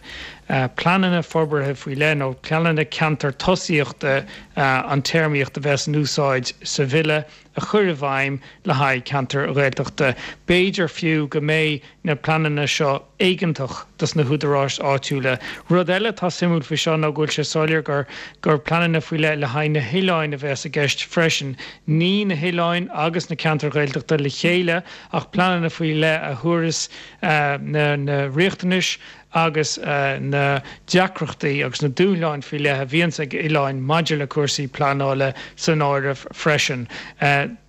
pleananna forbartha faoi leith nó pleananna ceantar tosaíochta an téarmaíocht a bheas in úsáid sa bhille a chur i bhfeidhm le haghaidh ceantair Ghaeltachta. B'fhéidir fiú go mbeidh na pleananna seo éigeantach dos na húdaráis áitiúla. Rud eile atá suimiúil faoi seo ná go bhfuil sé soiléir gur gur pleananna faoi leith le haghaidh na hoileáin a bheas i gceist freisin. Ní na hoileáin agus na ceantair Ghaeltachta le chéile ach pleananna faoi leith a thabharfas na na riachtanais agus na deacrachtaí agus na dúshláin faoi leith a bhíonns ag oileáin maidir le cúrsaí pleanála san áireamh freisin.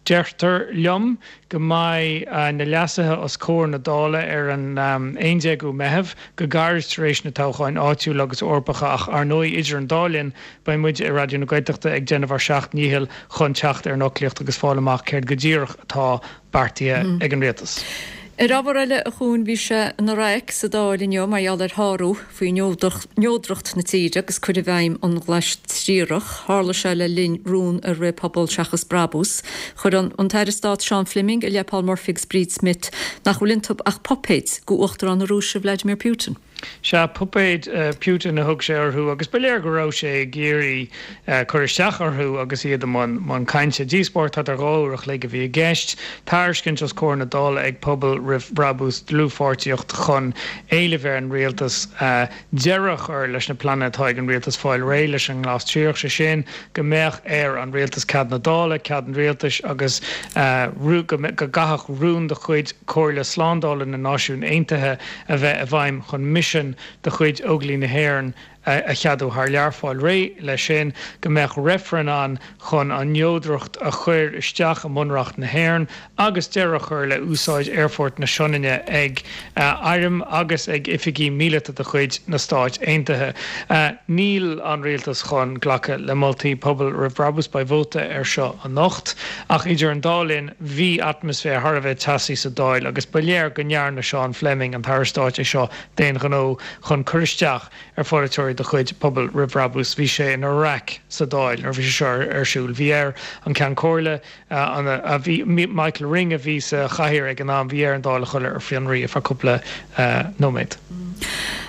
Deirtear liom go mbeidh na leasuithe os comhair na Dála ar an aon déagú Meitheamh, go gairid tar éis na toghcháin áitiúla agus Eorpacha ach ar ndóigh idir an dá linn beidh muid i Raidió na Gaeltachta ag déanamh ár seacht ndícheall chun teacht ar an fhoclaíocht agus fáil amach céard go díreach atá beartaithe ag an Rialtas. Ar ábhar eile, a Chuain, bhí sé ina raic sa Dáil inniu mar gheall ar shárú faoi neodracht na tíre agus cur i bhfeidhm an Ghlais Triarach. Tharla sé le linn rún a rith Pobal Seachas Brabús. Chuir an tAire Stáit Seán Fleming i leith Paul Murphy agus Bríd Smith nach bhfuil iontu ach puipéid go Uachtarán na Rúise Vladimir Putin. Sea, puipéid Putin a thug sé orthu agus ba léir go raibh sé ag iarraidh cur isteach orthu agus iad i mbun cainte. Díospóireacht thart ar dhá uair a chloig a bhí i gceist. Tairiscint os comhair na Dála ag Pobal Roimh Bhrabús dlúthpháirtíocht chun éileamh ar an rialtas deireadh a chur leis na pleananna atá ag an rialtas fáil réidh leis an nGlas Triarach, sé sin go mbeadh ar an rialtas cead na Dála, cead an rialtais agus go gcaithfeadh rún de chuid Chomhairle Slándála na Náisiún Aontaithe a bheith i bhfeidhm chun misean de chuid Óglaigh na hÉireann a cheadú thar lear, fáil réidh leis sin, go mbeadh reifreann ann chun an neodracht a chur isteach i mBunreacht na hÉireann agus deireadh a chur le úsáid Aerfort na Sionainne ag airm agus ag oifigí míleata de chuid na Stáit Aontaithe. Níl an rialtas chun glacadh le moltaí Pobal Roimh Bhrabús, beidh vóta air seo anocht, ach idir an dá linn bhí atmaisféar thar a bheith teasaí sa Dáil agus ba léir go ndearna Seán Fleming, an tAire Stáit, é seo d'aon ghnó chun cur isteach ar pholaiteoirí de chuid Pobal Roimh Bhrabús. Bhí sé ina raic sa Dáil nuair a bhí sé seo ar siúl. Bhí air an Ceann Comhairle, a bhí, Michael Ring a bhí sa chathaoir ag an am, bhí air an Dáil a chur ar fionraí ar feadh cúpla nóiméad.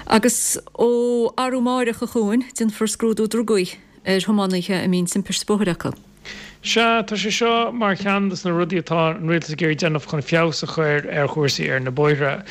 Agus ó arú amáireach, a Chuain, déanfar scrúdú drugaí ar thiománaithe a mbíonn timpiste bóthair acu. Sea, tá sé seo mar cheann de na rudaí atá an rialtas ag iarraidh déanamh chun feabhas a chur ar chúrsaí ar na bóithre.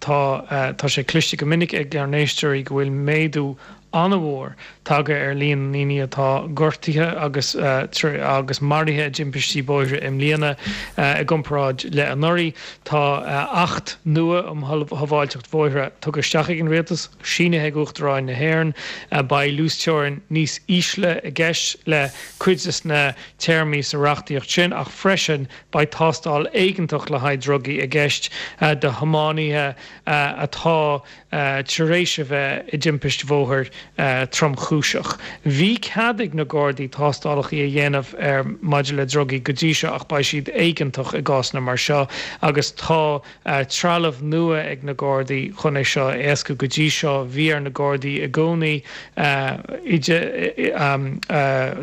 Tá, tá sé cloiste go minic ag ár n-éisteoirí go bhfuil méadú an-mhór tagtha ar líon na ndaoine atá gortaithe agus agus maraithe i dtimpistí bóithre i mbliana i gcomparáid le anuraidh. Tá Acht nua um Shábháilteacht Bhóithre tugtha isteach ag an Rialtas, sínithe ag Uachtarán na hÉireann. Beidh luasteorainn níos ísle i gceist le cuid de na téarmaí sa reachtaíocht sin ach freisin beidh tástáil éigeantach le haghaidh drugaí i gceist do thiománaithe atá tar éis a bheith i dtimpist bhóthair tromchúiseach. Bhí cead ag na Gardaí tástálacha a dhéanamh ar maidir le drugaí go dtí seo ach beidh siad éigeantach i gcásanna mar seo agus tá trealamh nua ag na Gardaí chun é seo a éascú. Go dtí seo bhí ar na Gardaí i gcónaí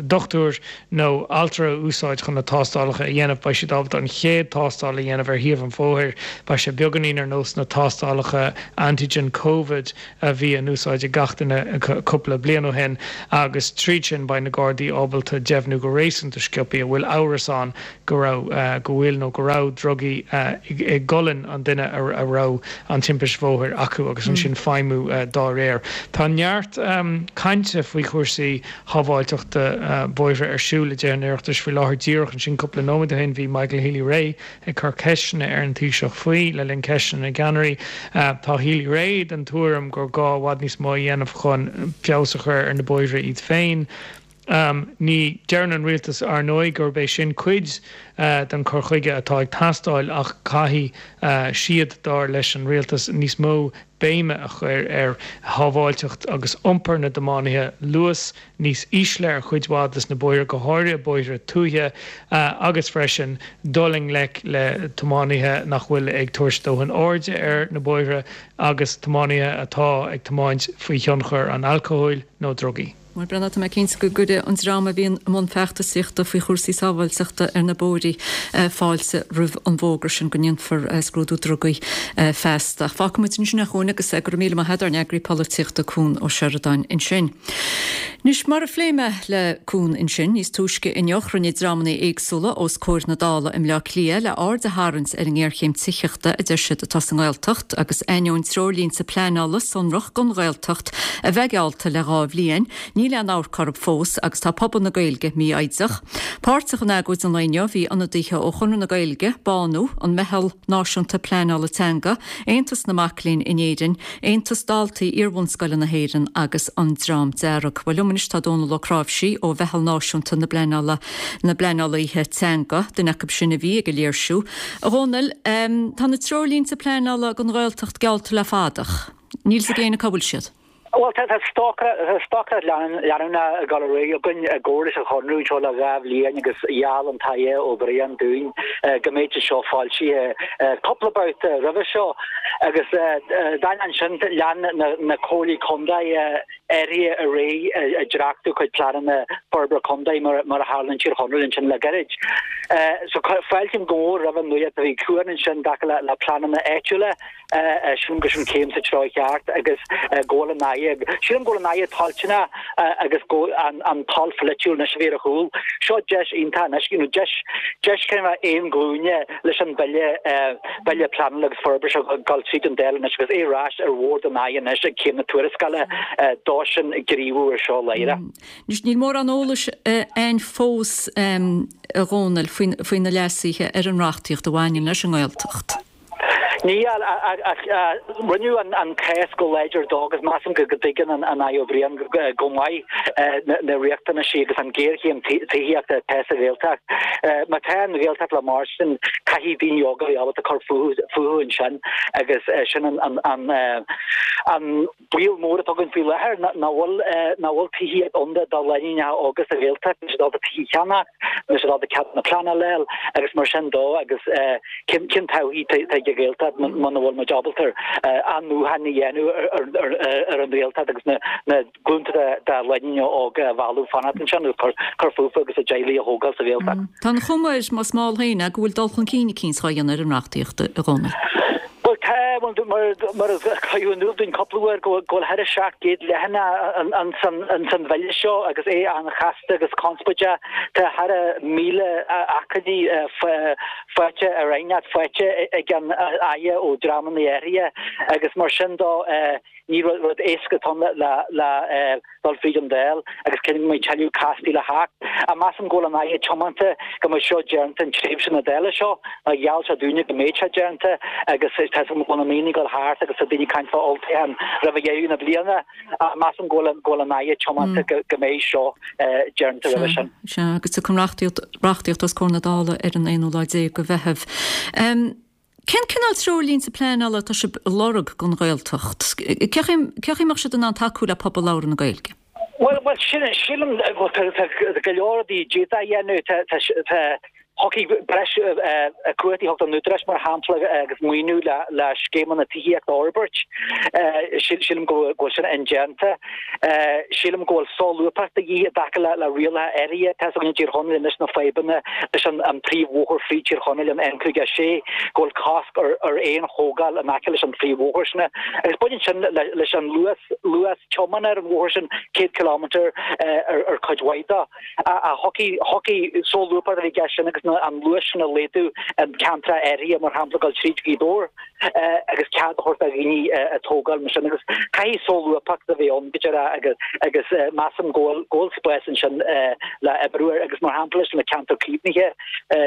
dochtúir nó altra a úsáid chun na tástálacha a dhéanamh. Beidh siad ábalta an chéad tástáil a dhéanamh ar thaobh an bhóthair. Beidh sé beagáinín ar nós na tástálacha antigen Covid a bhí in úsáid ag gach duine cúpla bliain ó shin agus tríd sin beidh na Gardaí ábalta deimhniú go réasúnta sciobtha an bhfuil amhras ann go raibh, go bhfuil nó go raibh drugaí i gcolainn an duine a raibh an timpist bhóthair acu agus ansin feidhmiú dá réir. Tá neart cainte faoi chúrsaí shábháilteachta bóithre ar siúl i dTithe an Oireachtais faoi láthair. Díreach ansin cúpla nóiméad ó shin bhí Michael Healy-Rae ag cur ceisteanna ar an Taoiseach faoi le linn Ceisteanna na gCeannairí. Tá Healy-Rae den tuairim gur gá i bhfad níos mó a dhéanamh chun feabhas a chur ar na bóithre iad féin. Ní deireann an rialtas ar ndóigh gurb é sin cuid den chur chuige atá ag teastáil ach caithfidh siad, dar leis an rialtas, níos mó béime a chur ar shábháilteacht agus iompar na dtiománaithe, luas níos ísle ar chuid mhaith des na bóithre, go háirithe bóithre tuaithe, agus freisin dul i ngleic le tiománaithe nach bhfuil ag tabhairt dóthain airde ar na bóithre agus tiománaithe atá ag tiomáint faoi thionchar an alcóil nó drugaí. Bhuel, Breandán, tá mé cinnte go gcuirfidh an dream a bhíonn i mbun feachtasaíochta faoi chúrsaí sábháilteachta ar na bóithre fáilte roimh an bhfógra sin go ndéanfar scrúdú drugaí feasta. Ach fágfaidh muid ansin é a Chuain agus go raibh míle maith agat ár n-eagraí polaitíochta Cuan Ó Seireadáin ansin. Anois, mar a phléigh mé le Cuan ansin níos túisce inniu, chruinnigh dreamanna éagsúla os comhair na Dála i mBleá Cliath le aird a tharraingt ar an ngéarchéim tithíochta a deir siad atá sa nGaeltacht agus ainneoin treoirlínte pleanála sonrach don Ghaeltacht a bheith geallta le dhá bhliain, níl aon amharc orthu fós agus tá pobal na Gaeilge mífhoighdeach. Páirteach in agóid an lae inniu bhí ionadaithe ó Chonradh na Gaeilge, Bánú, an Meitheal Náisiúnta Pleanála Teanga, Aontas na Mac Léinn in Éirinn, Aontas Daltaí Iarbhunscoile na hÉireann agus an Dream Dearg. Bhuel liom anois tá Dónal Ó Cnáimhsí ó Mheitheal Náisiúnta na bPleanála na bPleanálaithe Teanga, duine acu sin a bhí ag an léirsiú. A Dhónaill, tá na treoirlínte pleanála don Ghaeltacht geallta le fada ach níl 's ag éinne cá bhfuil siad. Bhuel, tá stocaireacht leanúnach ag dul ar aghaidh againn i gcomhar leis an Chonradh anseo le dhá bhliain agus gheall an tAire Ó Briain dúinn go mbeadh sé seo foilsithe cúpla babhta roimhe seo agus d'ainneoin sin lean na comhairlí contae uirthi ar aghaidh ag dréachtú cuid pleananna forbartha contae mar a tharla in Tír Chonaill ansin le gairid. So fáiltím go mór roimh an nuacht a bhí chugainn ansin i dtaca le pleananna áitiúla. Sílim gur sin céim sa treo cheart agus go bhfuil an Aire, sílim go bhfuil an Aire toilteanach agus go an toil pholaitiúil anois a bheith ar a chúl. Seo deis iontach anois, you know, deis, deis cineál aon ghlúine leis an Bille, Bille Pleanála agus Forbartha seo ag dul tríd an Dáil anois agus é ar ais ar bhord an Aire anois ag céim na tuarascála dó sin gníomhú ar seo láithreach. Anois níl mórán eolais ann fós, a Dhónaill, faoi na leasuithe ar an reachtaíocht a bhaineann leis an nGaeltacht. Níl, ach rinneadh an cás go láidir dó agus measaim go dtuigeann an Aire Ó Briain go maith na riachtanaisí agus an ghéarchéim tithíochta atá sa Ghaeltacht. Má tá an Ghaeltacht le mairstin, caithfidh daoine óga a bheith ábalta cur fúthu ansin agus sin an baol mór atá againn faoi láthair, nach bhfuil nach bhfuil tithíocht ann do lánúineacha óga sa Ghaeltacht, níl siad ábalta tithe a cheannach, níl siad ábalta cead na pleanála a fháil agus mar sin dó agus cén cén todhchaí atá ag an Ghaeltacht muna bhfuil muid ábalta athnuachan a dhéanamh ar an Ghaeltacht agus na na glúnta de lánúineacha óga a mhealladh fanacht ansin agus cur cur fúthu agus a dteaghlaigh a thógáil sa Ghaeltacht. Tá an chuma air, más mall féin é, go bhfuil dul chun cinn eicínt á dhéanamh ar an reachtaíocht, a Dhónaill. Bhuel tá, mar mar a cuireadh in iúl dúinn cúpla uair go bhfuil thar a seacht gcéad leathanach ins an bhille seo agus é an-chasta agus conspóideach. Tá thar a míle achainí faighte ar aighneacht faighte ag an Aire ó dreamanna áirithe agus mar sin dó ní rud éasca atá ann le dul fríd an Dáil agus go mbeidh tuilleadh cásdlí le theacht. Ach measaim go bhfuil an Aire tiomanta go mbeidh seo déanta in tréimhse na Dála seo, mar gheall sé dúinne go mbeidh sé déanta agus tá go bhfuil na míonna ag dul thart agus tá daoine ag caint fá olltoghchán roimh dheireadh na bliana. Ach measaim go bhfuil an Aire tiomanta go mbeidh seo déanta roimhe sin. Sea, agus tiocfaidh an reachtaíocht os comhair na Dála ar an aonú lá déag de Mheitheamh. Cén cineál treoirlínte pleanála atá sibh a lorg don Ghaeltacht? Cén chaoi a mbeadh siad in ann tacú le pobal labhartha na Gaeilge? Bhuel, bhuel, sin, sílim go bhfuil tá go leor rudaí a d'fhéadfá a dhéanamh. Tá, tá, tá, thiocfadh breis cumhachtaí a thabhairt don Údarás, mar shampla, agus maoiniú le, le scéimeanna tithíochta a fhorbairt. Sílim go bhfuil sin indéanta. Sílim go bhfuil solúbthacht de dhíth i dtaca le, le rialacha áirithe. Tá 'fhios againn i dTír Chonaill anois na fadhbanna leis an, an príomhbhóthar fríd Tír Chonaill, an N cúig a sé, go bhfuil cosc ar, ar aon thógáil in aice leis an phríomhbhóthar sin. Agus baineann sin le, leis an luas, luas tiomána ar an bhóthar sin, céad kilometre ar, ar cuid mhaith de. Ach thiocfadh, thiocfadh solúbthacht a bheith i gceist sin agus na, an luas sin a laghdú i gceantracha áirithe, mar shampla dul tríd Gaoth Dobhair agus cead a thabhairt do dhaoine ag tógáil mar sin agus caithfidh solúbthacht a bheith ann go dearfa agus agus measaim go bhfuil go bhfuil spás ansin le oibriú air agus mar shampla leis na ceantair caomhnaithe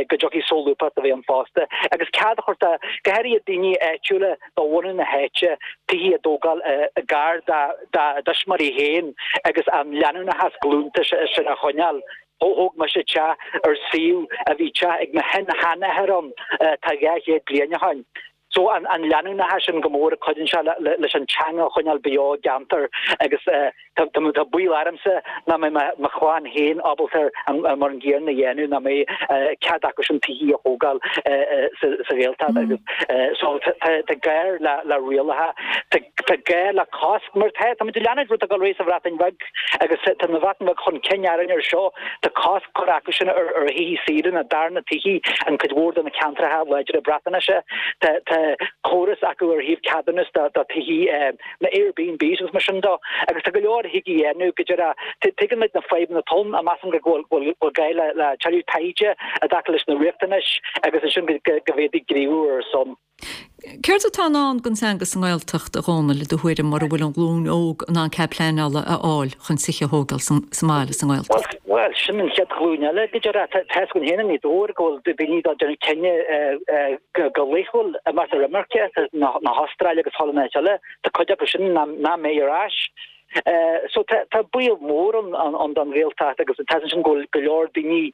go dtiocfaidh solúbthacht a bheith ann fosta agus cead a thabhairt do go háirithe daoine áitiúla de bhunadh na háite tithe a dtógáil gar dá dá dtuismitheoirí féin agus an leanúnachas glúnta sin a choinneáil. Thóg mise teach ar suíomh a bhí teach ag mo shin-sheanathair ann tá dhá chéad bliain ó shin. So an an leanúnachas sin go mór a chuidíonn sé leis an teanga a choinneáil beo i gceantar agus tá tá baol ormsa nach mbeidh mo chlann féin ábalta an mar an gcéanna a dhéanamh, nach mbeidh cead acu sin tithe a thógáil sa sa Ghaeltacht agus so tá gá le le rialacha, tá gá le cosc mar tá tá muid ag leanúint rud atá ag dul ar aghaidh sa Bhreatain Bheag agus tá na Bhreatain Bheag chun cinn orainn ar seo, tá cosc curtha acu sin ar ar thithe saoire, na darna tithe in cuid mhór de na ceantracha láidre Breatnaise. Tá tá córas acu ar thaobh ceadúnas do do thithe na Airbnbs agus mar sin de agus tá go leor a thig a dhéanamh go deireadh. Tuigeann muid na fadhbanna atá ann, measaim go bhfuil bhfuil bhfuil gá le le tuilleadh taighde i dtaca leis na riachtanais agus ansin go go bhféadfaí gníomhú ar a son. Céard atá i ndán don teanga sa nGaeltacht, a Dhónaill, i do thuairim, mura bhfuil an ghlúin óg in ann cead pleanála a fháil chun tithe a thógáil sa mbaile sa nGaeltacht? Bhuel, sin an chéad ghlúin eile, go dearfa. Tá 'fhios againn féin i nGaoth Dobhair go bhfuil daoine ag déanamh cinneadh go laethúil imeacht ar imirce na hAstráile agus chuile áit eile. Tá cuid acu sin nach mbeidh ar ais. So tá baol mór ann don Ghaeltacht agus tá sin go bhfuil go leor daoine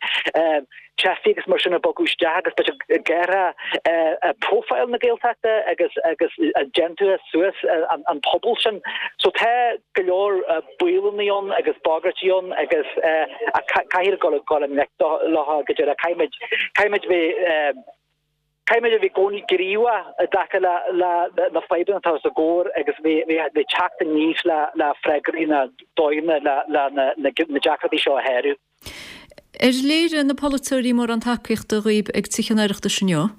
teifigh agus mar sin ag bogadh isteach agus beidh siad ag athrú profile na Gaeltachta agus agus ag déanamh suas an pobal sin. So tá go leor baolanna ann agus bagairtí ann agus caithfidh dul dul i ngleic leo go deireadh. Caithfimid caithfimid bheith Caithfimid a bheith i gcónaí gníomhach i dtaca le na fadhbanna atá os ár gcomhair agus bheith ag teacht aníos le freagraí na dóigheanna le na deacrachtaí seo a shárú. Ar léirigh na polaiteoirí mórán tacaíochta dhaoib ag Tithe an Oireachtais inniu?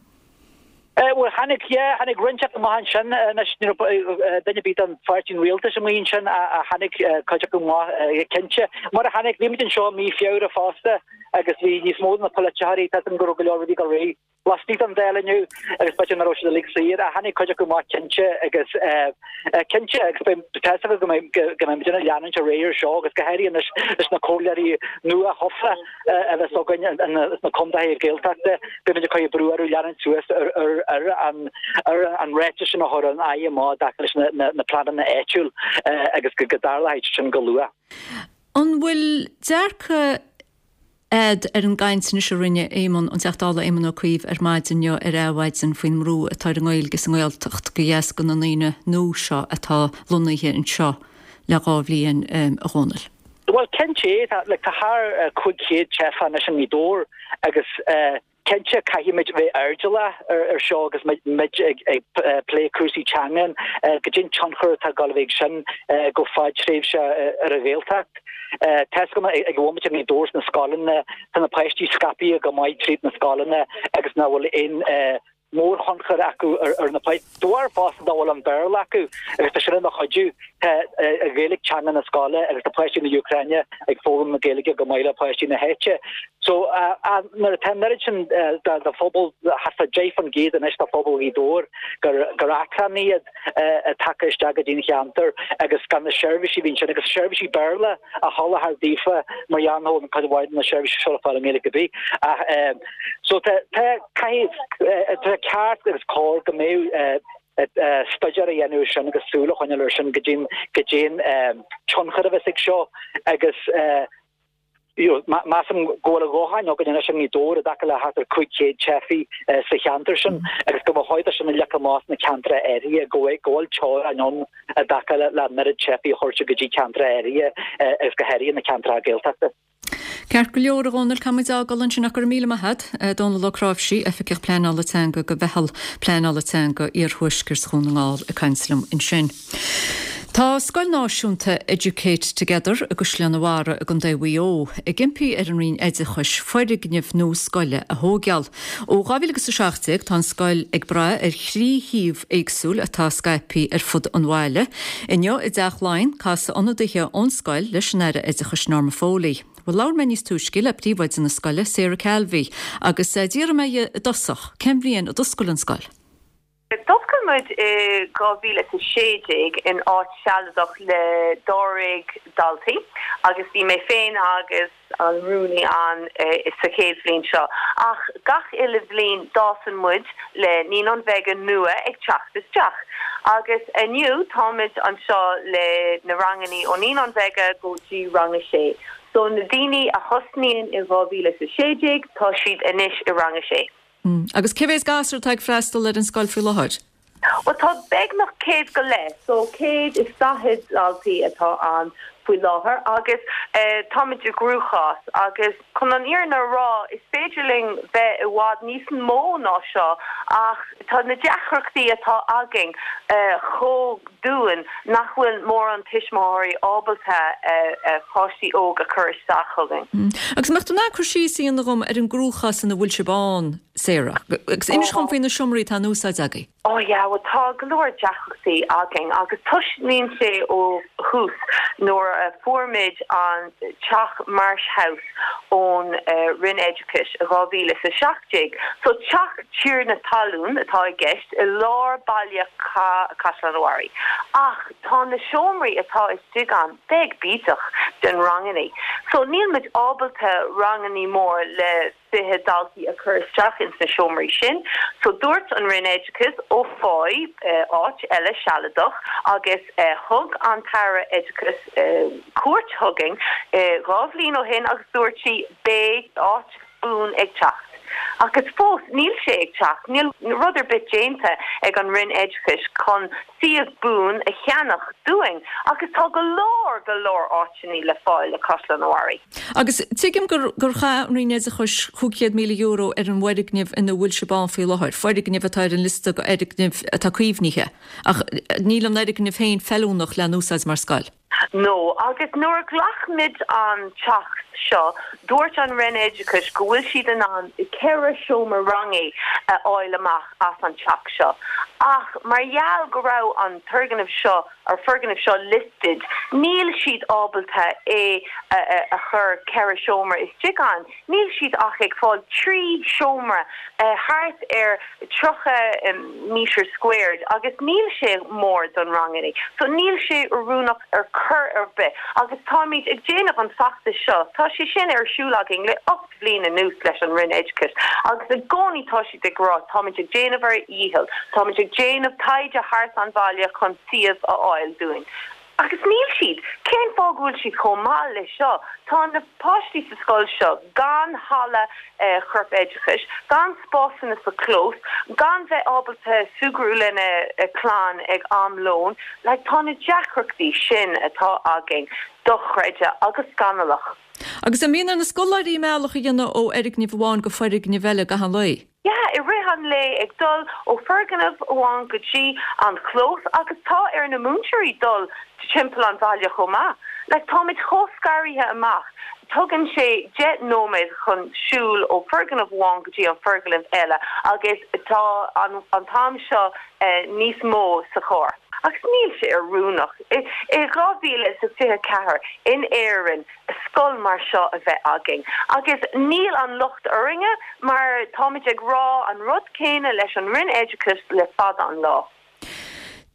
Bhuel, tháinig, yeah, tháinig roinnt acu amach ansin anois, ní raibh duine ar bith den pháirtí an rialtais amuigh ansin ach tháinig cuid acu amach, cinnte. Mar a tháinig, bhí muid anseo i mí Feabhra fosta agus bhí níos mó de na polaiteoirí, tá 'fhios agam go raibh go leor rudaí ag dul ar aghaidh. Laistigh den Dáil inniu agus b'fhéidir nach raibh siad uilig saor ach tháinig cuid acu amach cinnte agus cinnte agus beidh tá 'fhios agam go mbeidh go mbeidh muid ag leanúint ar aghaidh ar seo agus go háirithe anois leis na comhairleoirí nua-thofa a bheas againn sna contaetha Gaeltachta beidh muid ag cur brú orthu leanúint suas ar ar ar an ar an ráiteas sin a chuir an Aire amach i dtaca leis na na na pleananna áitiúil agus go go dtarlóidh sin go luath. An bhfuil dearcadh a'd ar an gcaint anois a rinne Éamon, an Teachta Dála Éamon Ó Cuív ar maidin inniu ar Adhmhaidin faoin mbrú atá ar an nGaeilge sa nGaeltacht de dheasca na ndaoine nua seo atá lonnaithe anseo le dhá bhliain, a Dhónaill? Bhuel, cinnte, tá, like, tá thar cúig chéad teifeach anois i nGaoth Dobhair agus cinnte caithfimid bheith airdeallach ar seo agus muid ag plé cúrsaí teangan, goidé an tionchar atá ag dul a bheith ag sin go fadtréimhse ar an Ghaeltacht. Tá 'fhios agam ag an bhomaite i nGaoth Dobhair sna scoileanna, tá na páistí scaipthe go maith tríd na scoileanna agus nach bhfuil aon mórthionchar acu ar na páistí. De bharr fosta nach bhfuil an Béarla acu agus tá sin ina chuidiú. Tá an Ghaeilge teanga na scoile agus tá páistí na Úcráine ag foghlaim na Gaeilge go maith le páistí na háite. So nuair atá an oiread sin de phobal, thart fá deich faoin gcéad anois de phobal Ghaoth Dobhair gur gur eachtrannaigh iad tagtha isteach go dtí an cheantar agus gan na seirbhísí a bhí ansin agus seirbhísí Béarla a sholáthar daofa mar gheall nach bhfuil cuid mhaith de na seirbhísí seo le fáil i nGaeilge ar bith. Ach so tá tá caithfidh tá ceart agus cóir go mbeadh staidéar a dhéanamh ar sin agus súil a choinneáil ar sin go dtí go dtí an tionchar a bheas ag seo agus measaim go bhfuil a dhóthain againn anois i nGaoth Dobhair i dtaca le thart ar cúig chéad teifigh sa cheantar sin agus go mba chóir dó sin a leagan amach sna ceantracha áirithe go bhfuil teorainn ann i dtaca le an oiread teifigh a thabhairt go dtí ceantracha áirithe agus go háirithe na ceantracha Gaeltachta. Ceart go leor, a Dhónaill, caithfidh muid a fhágáil ansin ach go raibh míle maith agat. Dónal Ó Cnáimhsí, Oifigeach Pleanála Teanga go Mheitheal Pleanála Teanga Iarthuaisceart Dhún na nGall ag caint liom ansin. Tá Scoil Náisiúnta Educate Together i gCaisleán an Bharraigh i gContae Mhaigh Eo ag impí ar an Roinn Oideachais foirgneamh nua scoile a thóigeáil. Ó dhá mhíle agus a seacht déag tá an scoil ag brath ar thrí shuíomh éagsúil atá scaipthe ar fud an bhaile. Inniu i dTeach Laighean casadh ionadaithe ón scoil leis an Aire Oideachais Norma Foley. Bhuel labhair mé níos túisce le príomhoide na scoile, Sarah Calvey, agus d'fhiafraigh mé dhi i dtosach cén bhliain a d'oscail an scoil. D'oscail muid i dhá mhíle is a sé déag in áit sealadach le dáréag daltaí agus bhí mé féin agus an rúnaí ann sa chéad bhliain seo. Ach gach uile bhliain d'fhásann muid le Naíonáin Bheaga nua ag teacht isteach. Agus inniu táimid anseo le na rangannaí ó Naíonáin Bheaga go dtí rang a sé. So na daoine a thosnaíonn i dhá mhíle is a sé déag tá siad anois i rang a sé. Agus cé mhéad gasúr atá ag freastal ar an scoil faoi láthair? Bhuel tá beagnach céad go leith, so céad is daichead daltaí atá ann faoi láthair agus táimid i gcruachás agus chun an fhírinne a rá is féidir linn bheith i bhfad níos mó ná seo ach tá na deacrachtaí atá againn chomh dian nach bhfuil mórán tuismitheoirí ábalta páistí óg a chur isteach chugainn. Agus an mbeadh tú in ann cur síos a dhéanamh dhom ar an gcruachás ina bhfuil sibh ann, Sarah? Agus inis dhom faoi na seomraí atá in úsáid agaibh. Oh yeah, bhuel tá go leor deacrachtaí againn agus tosnaíonn sé ó thús nuair a fuair muid an teach Marsh House ón Roinn Oideachais i dhá mhíle is a seacht déag. So teach tiarna talún atá i gceist i lár baile Caisleán an Bharraigh. Ach tá na seomraí atá istigh ann beag bídeach den rangannaí. So níl muid ábalta rangannaí mór le fiche daltaí a chur isteach ins na seomraí sin. So dúirt an Roinn Oideachais ó faigh áit eile sealadach agus thug an tAire Oideachais cuairt chugainn dhá bhliain ó shin agus dúirt sí beidh áit buan ag teacht. Agus fós níl sé ag teacht, níl rud ar bith déanta ag an Roinn Oideachais chun suíomh buan a cheannach dúinn agus tá go leor, go leor áiteanna le fáil le Caisleán an Bharraigh. Agus tuigim gur gur chaith an Roinn Oideachais chúig chéad míle euro ar an bhfoirgneamh ina bhfuil sibh ann faoi láthair, foirgneamh atá ar an liosta d'fhoirgnimh atá caomhnaithe, ach níl an fhoirgneamh féin feiliúnach lena úsáid mar scoil. No, agus nuair a ghlac muid an teach seo, dúirt an Roinn Oideachais go bhfuil siad in ann ceithre seomra ranga a fháil amach as an teach seo. Ach mar gheall go raibh an turgnamh seo, ar foirgneamh seo listed, níl siad ábalta é a chur ceithre seomra istigh ann. Níl siad ach ag fáil trí seomra thart ar tríocha metre squared agus níl sé mór don rangannaí. So níl sé oiriúnach ar chor ar bith agus táimid ag déanamh an feachtas seo, tá sé sin ar siúl againn le ocht bhliain anuas leis an Roinn Oideachais agus i gcónaí tá siad ag rá táimid ag déanamh ár ndícheall, táimid ag déanamh taighde thart an bhaile chun suíomh a fháil dúinn. Agus níl siad. Cén fáth go bhfuil siad chomh mall leis seo? Tá na páistí sa scoil seo gan halla chorp oideachais, gan spásanna sa chlós, gan bheith ábalta súgradh lena clann ag am lóin. Like, tá na deacrachtaí sin atá againn dochreidte agus scannalach. Agus an mbíonn ar na scoláirí a mbealach a dhéanamh ó fhoirgneamh amháin go foirgneamh eile gach aon lae? Yeah, i rith an lae ag dul ó foirgneamh amháin go dtí an chlós agus tá ar na múinteoirí dul timpeall an bhaile chomh maith. Like táimid chomh scartha amach. Tugann sé deich nóiméad chun siúl ó foirgneamh amháin go dtí an foirgneamh eile agus tá an an t-am seo níos mó sa charr. Agus níl sé oiriúnach i dhá mhíle is a fiche ceathair in Éirinn scoil mar seo a bheith againn. Agus níl an locht orainne mar táimid ag rá an rud céanna leis an Roinn Oideachais le fada an lá.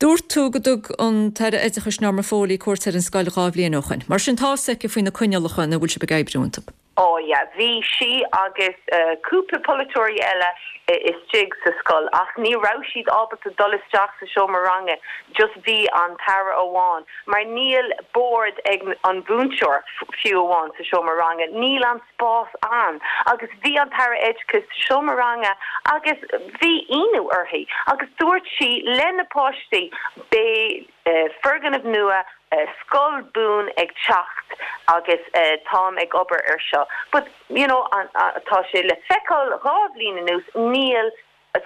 Dúirt tú go dtug an tAire Oideachais Norma Foley cuairt ar an scoil dhá bhliain ó shoin. Mar sin tá fhios aici faoi na coinníollacha ina bhfuil sibh ag oibriú iontu. Ó yeah, bhí sí agus cúpla polaiteoirí eile istigh sa scoil ach ní raibh siad ábalta dul isteach sa seomra ranga, just bhí an tAire amháin mar níl bord ag an mhúinteoir fiú amháin sa seomra ranga, níl an spás ann agus bhí an tAire Oideachais sa seomra ranga agus bhí ionadh uirthi agus dúirt sí le na páistí beidh foirgneamh nua scoil buan ag teacht agus táim ag obair ar seo. But you know tá sé le feiceáil dhá bhliain anuas níl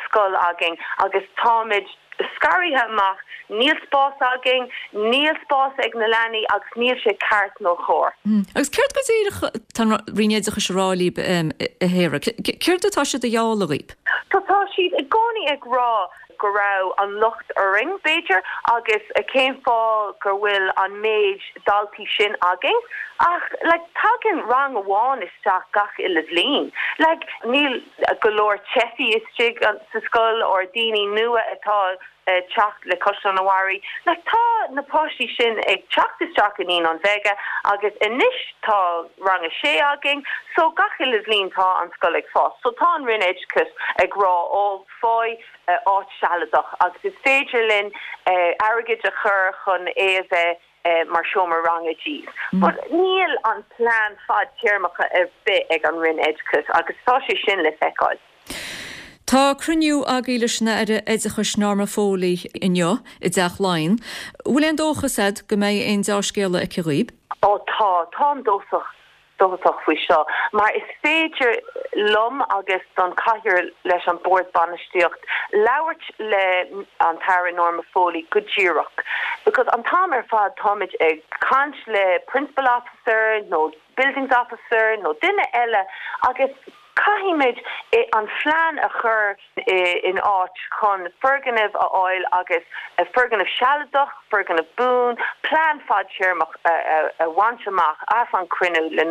scoil againn agus táimid scartha amach, níl spás againn, níl spás ag na leanaí agus níl sé ceart nó cóir. Agus céard go díreach tá an Roinn Oideachais a rá libh a Shara? Céard atá siad a ghealladh dhaoibh? Tá tá siad i gcónaí ag rá go raibh an locht orainn, b'fhéidir, agus cén fáth gur bhfuil an méid daltaí sin againn. Ach like tagann rang amháin isteach gach uile bhliain. Like níl go leor teifí istigh sa scoil or daoine nua atá teacht le Caisleán an Bharraigh. Like tá na páistí sin ag teacht isteach i Naíonáin Bheaga agus anois tá rang a sé againn, so gach uile bhliain tá an scoil ag fás. So tá an Roinn Oideachais ag rá ó faigh áit sealadach agus is féidir linn airgead a chur chun é a bheith mar seomra ranga daoibh. But níl an plean fadtéarmach ar bith ag an Roinn Oideachais agus tá sé sin le feiceáil. Tá cruinniú agaibh leis an Aire Oideachais Norma Foley inniu i dTeach Laighean. Bhfuil aon dóchas agat go mbeidh aon dea-scéala aici dhaoibh? Ó tá, táim dóchasach dóchasach faoi seo mar is féidir liom agus don chathaoir leis an bord bainistíocht labhairt le an tAire Norma Foley go díreach because an t-am ar fad táimid ag caint le principal officer nó buildings officer nó duine eile agus caithfimid an phlean a chur in áit chun foirgneamh a fháil agus foirgneamh sealadach, foirgneamh buan, plean fadtéarmach a bhaint amach as an cruinniú le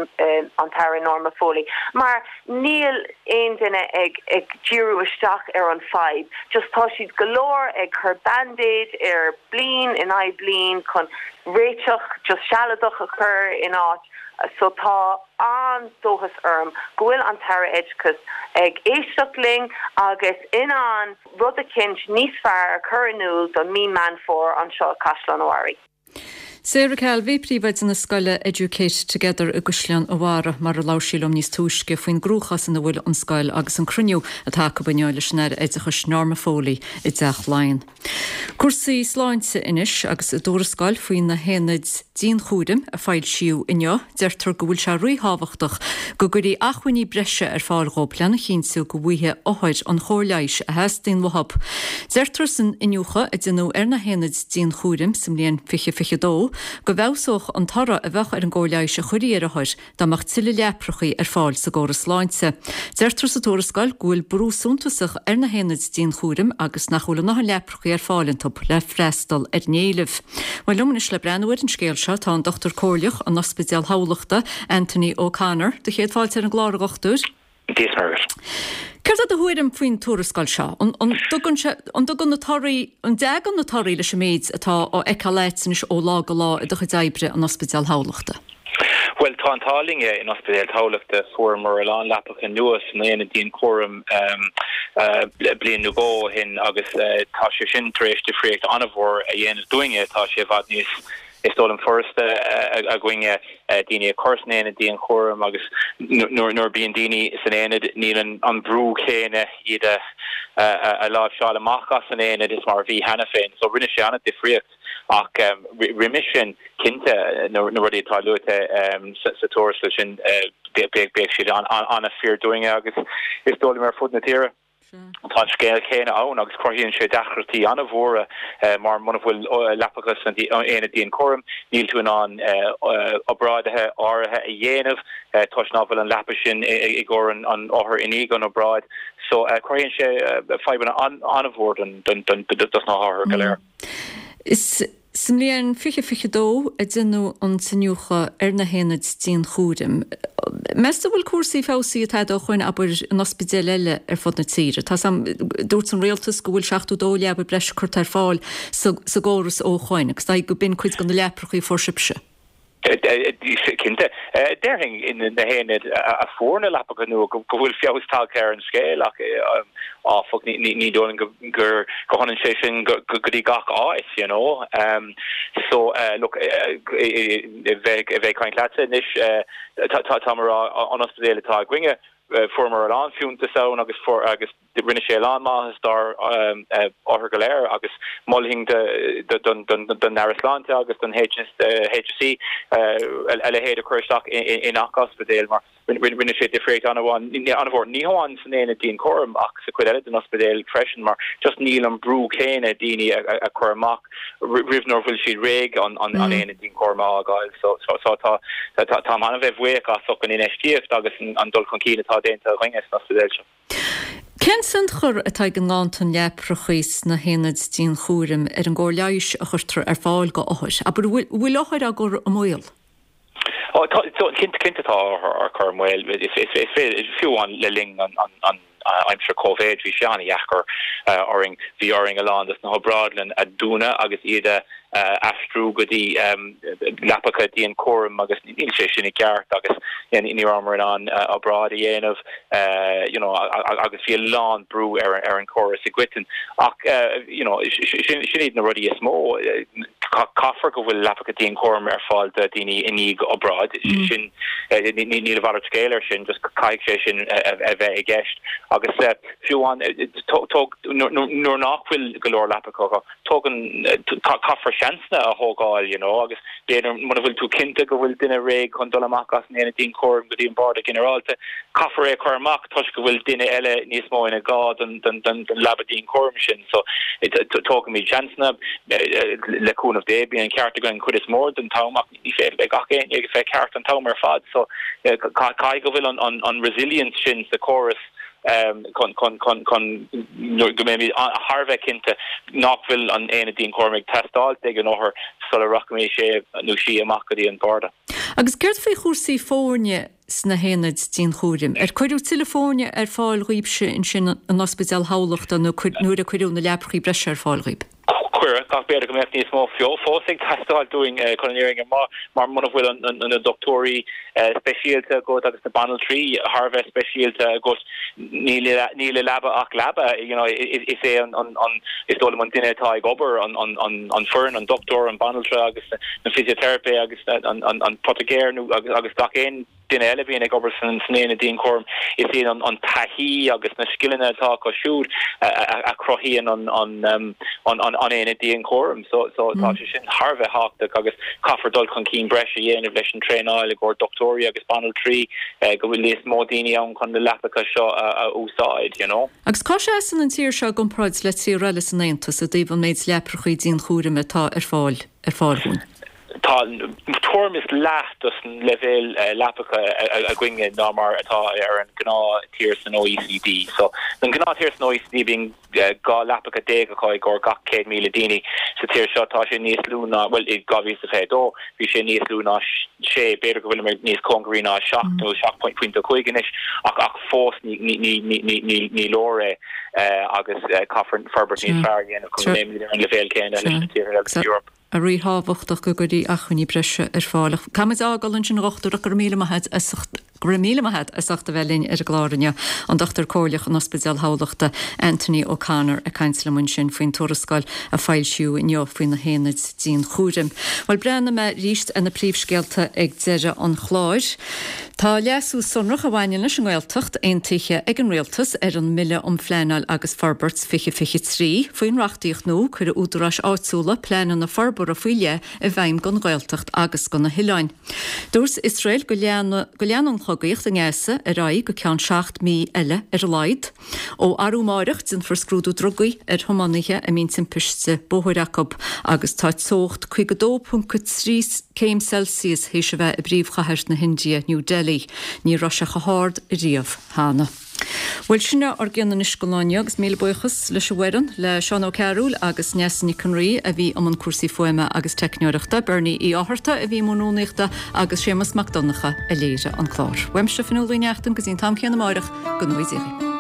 an tAire Norma Foley mar níl aon duine ag ag díriú isteach ar an fadhb. Just tá siad go leor ag cur band-aid ar bliain in aghaidh bliain chun réiteach just sealadach a chur in áit so tá an-dóchas orm go bhfuil an tAire Oideachais ag éisteacht linn agus in ann rud eicínt níos fearr a chur in iúl don mí Meán Fómhair anseo i Caisleán an Bharraigh. Sarah Calvey, príomhoide na scoile Educate Together i gCaisleán an Bharraigh mar a labhair sí liom níos túisce faoin gcruachás ina bhfuil an scoil agus an cruinniú atá acu inniu leis an Aire Oideachais Norma Foley i dTeach Laighean. Cúrsaí sláinte anois agus i dtuarascáil faoi na haonaid dianchúraim a foilsíodh inniu, deirtear go bhfuil sé ríthábhachtach go gcuirfí acmhainní breise ar fáil dhóibh lena chinntiú go bhfaighidh othair an chóir leighis a theastaíonn uathu. Deirtear san iniúchadh a déanadh ar na haonaid dianchúraim sa mbliain fiche fiche dó go bhfeabhsódh an toradh a bheadh ar an gcóir leighis a chuirfí ar othair dá mbeadh tuilleadh leaprachaí ar fáil sa gcóras sláinte. Deirtear sa tuarascáil go bhfuil brú suntasach ar na haonaid dianchúraim agus nach bhfuil a ndóthain leaprachaí ar fáil iontu le freastal ar an éileamh. Bhuel liom anois le breathnú ar an scéal seo tá an Dochtúir Comhairleach in Ospidéal Thamhlachta, Anthony O'Connor. Do chéad fáilte ar an gclár a dhochtúir. Dia is Muire dhuit. Céard é do thuairim faoin tuarascáil seo? An dtugann sé, an dtugann na torthaí, an dtagann na torthaí leis an méid atá á fheiceáil agat anois ó lá go lá i do chuid oibre in Ospidéal Thamhlachta? Bhuel, tá an t-ádh linn in Ospidéal Thamhlachta, fuaireamar a lán leapacha nua san aonad dianchúraim bliain nó dhó ó shin agus tá sé sin tar éis difríocht an-mhór a dhéanamh dúinne. Tá sé i bhfad níos is dóigh liom furasta againne daoine a chur san aonad dianchúraim agus nuair a bíonn daoine san aonad níl an brú céanna iad a láimhseáil amach as an aonad is mar a bhí cheana féin. So rinne sé an-difríocht ach roimhe sin cinnte na rudaí atá luaite sa tuarascáil sin bheadh siad an-fhíor dúinne agus is dóigh liom ar fud na tíre. Tá an scéal céanna ann agus cruthaíonn sé deacrachtaí an-mhóra mar muna bhfuil leapacha san aonad dianchúraim, níl tú in ann obráidithe áirithe a dhéanamh toisc ná bhfuil an leapa sin i gcomhair an othair i ndiaidh an obráid. So cruthaíonn sé fadhbanna an-mhór dos na hothair go léir. Is Sa mbliain fiche fiche dó a deineadh an t-iniúchadh ar na haonaid dianchúraim. Meas tú an bhfuil cúrsaí feabhsaithe tada ó shoin, abair, in ospidéil eile ar fud na tíre? Tá 's a'm, dúirt an rialtas go bhfuil seachtó dó leaba breise curtha ar fáil sa gcóras ó shoin, agus dóigh go b'in cuid de na leaprachaí a fuair sibhse. Cinnte. Déarfainn na haonaid a fuair na leapacha nua go bhfuil feabhas tagtha ar an scéal ach áfach ní dóigh liom gur go hionann sé sin go dtí gach áit, you know. So look, bheith ag caint leatsa anois tá mé ag rá an ospidéal atá againne, Fuaireamar a lán fiúntas ann agus agus rinne sé a lán maitheas dár othair go léir agus mholfainn don Aire Sláinte agus don HSE a leithéid a chur isteach i ngach ospidéal mar rinne sé difríocht an-mhór, ní hamháin san aonad dianchúraim ach sa chuid eile den ospidéal freisin mar just níl an brú céanna daoine a chur amach roimh nuair bhfuil siad réidh an aonad dianchúraim a fhágáil. So tá táim an-bheith bhuíoch as ucht an infheistíocht agus an dul chun cinn atá déanta againne san ospidéal seo. Cén tionchar atá ag an nganntan leaprachaí sna haonaid dianchúraim ar an gcóir leighis a chuirtear ar fáil go othair? Abair, an bhfuil othair á gcur i mbaol? Ó, tá, cinnte, cinnte tá othair á cur i mbaol. Is féidir, fiú amháin le linn an aimsir Covid, bhí sé an-dheacair orainn. Bhí orainn a lán de na hobrádlann a dúnadh agus iad a aistriú go dtí leapacha dianchúraim agus níl sé sin i gceart agus ní rabhamar in ann obráid a dhéanamh you know agus bhí a lán brú ar ar an chóras i gcoiteann. Ach you know sin sin iad na rudaí is mó. Caithfear go bhfuil leapacha dianchúraim ar fáil do dhaoine i ndiaidh obráid. Sin níl a mhalairt scéil air sin, just caithfidh sé sin a bheith i gceist. Agus fiú amháin nuair nach bhfuil go leor leapacha, tógann caithfear seansanna a thógáil you know agus b'fhéidir muna bhfuil tú cinnte go bhfuil duine réidh chun dul amach as an aonad dianchúraim go dtí an barda ginearálta, caithfear é a chur amach toisc go bhfuil duine eile níos mó ina gá don leaba dianchúraim sin. So tógaimid seansanna le cúnamh Dé bíonn an ceart againn an chuid is mó den t-am ach ní féidir le gach éinne a bheith ceart an t-am ar fad. So caithfidh go bhfuil an resilience sin sa chóras chun chun go mbeimid thar a bheith cinnte nach bhfuil an aonad dianchúraim ag teastáilt ag an othar sula rachaidh sé nó sí amach go dtí an barda. Agus céard faoi chúrsaí foirne sna haonaid dianchúraim? Ar cuireadh tuilleadh foirne ar fáil dhaoibhse ansin in Ospidéal Thamhlachta nuair a cuireadh na leaprachaí breise ar fáil dhaoib? Cuireadh, ach b'fhéidir go mbeadh níos mó fós ag teastáil dúinn chun an fhírinne a rá, mar muna bhfuil na dochtúirí speisialta agat agus na banaltraí thar a bheith speisialta agat, níl i leaba ach leaba. You know, is é an, is dóigh liom an duine atá ag obair, an foireann, an dochtúir, an banaltra agus na physiotherapy agus an poitigéir nó agus gach aon duine eile a bhíonn ag obair san aonad dianchúraim, is iad an taithí agus na scileanna atá acu siúd a chruthaíonn an aonad dianchúraim. So tá sé sin thar a bheith tábhachtach agus caithfear dul chun cinn breise a dhéanamh leis an traenáil i gcomhair dochtúirí agus banaltraí go bhfuil níos mó daoine ann chun na leapacha seo a úsáid, you know. Agus cá seasann an tír seo i gcomparáid le tíortha eile san Aontas i dtaobh an méid leaprachaí dianchúraim atá ar fáil ar fáil dhúinn? Tá tuairim is leath dos an leibhéal leapacha againne ná mar atá ar an gnáth-tír san OECD. So, an gnáth-tír san OECD bíonn dhá leapacha déag acu i gcomhair gach céad míle daoine. Sa tír seo tá sé níos lú ná, bhuel, i dhá mhíle is a fiche a dó bhí sé níos lú ná sé, b'fhéidir go bhfuilimid níos cóngaraí ná seacht nó seacht pointe cúig anois ach ach fós ní ní ní ní ní leor é agus caithfear forbairt níos fearr a dhéanamh chun go mbeimid ar an leibhéal céanna leis na tíortha eile san Eoraip. Ríthábhachtach go gcuirfí acmhainní breise ar fáil. Ach caithfimid a fhágáil ansin a dhochtúir ach go raibh míle maith agat as ucht go raibh míle maith agat as ucht a bheith linn ar an gclár inniu. An Dochtúir Comhairleach in Ospidéal Thamhlachta, Anthony O'Connor ag caint liom ansin faoin tuarascáil a foilsíodh inniu faoi na haonaid dianchúraim. Bhuel breathnóidh mé arís ar na príomhscéalta ag deireadh an chláir. Tá leasú sonrach a bhaineann leis an nGaeltacht aontaithe ag an Rialtas ar an mBille um Phleanáil agus Forbairt fiche fiche trí. Faoin reachtaíocht nua, cuirfidh údaráis áitiúla pleananna forbartha faoi leith i bhfeidhm don Ghaeltacht agus do na hoileáin. Dúirt Iosrael go leanann chogaíocht i nGaza ar aghaidh go ceann seacht mí eile ar a laghad. Ó arú amáireach déanfar scrúdú drugaí ar thiománaithe a mbíonn timpiste bóthair acu agus tá teocht caoga dó ponc a trí céim Celsius théis a bheith i bpríomhchathair na hIndia, New Delhi. Ní raibh sé chomh hard riamh cheana. Bhuel, sin é ár gcion anois don lá inniu agus míle buíochas leis an bhfoireann, le Seán Ó Cearúil agus Neasa Nic an Rí a bhí i mbun cúrsaí fuaime agus teicneoireachta, Bernie Uí Fhátharta a bhí i mbun rúnaíochta agus Séamus Mac Donncha a léirigh an clár. Uaimse Fionnuala Uí Neachtain go dtí an t-am céanna amáireach, go ngnóthaí Dia dhaoibh.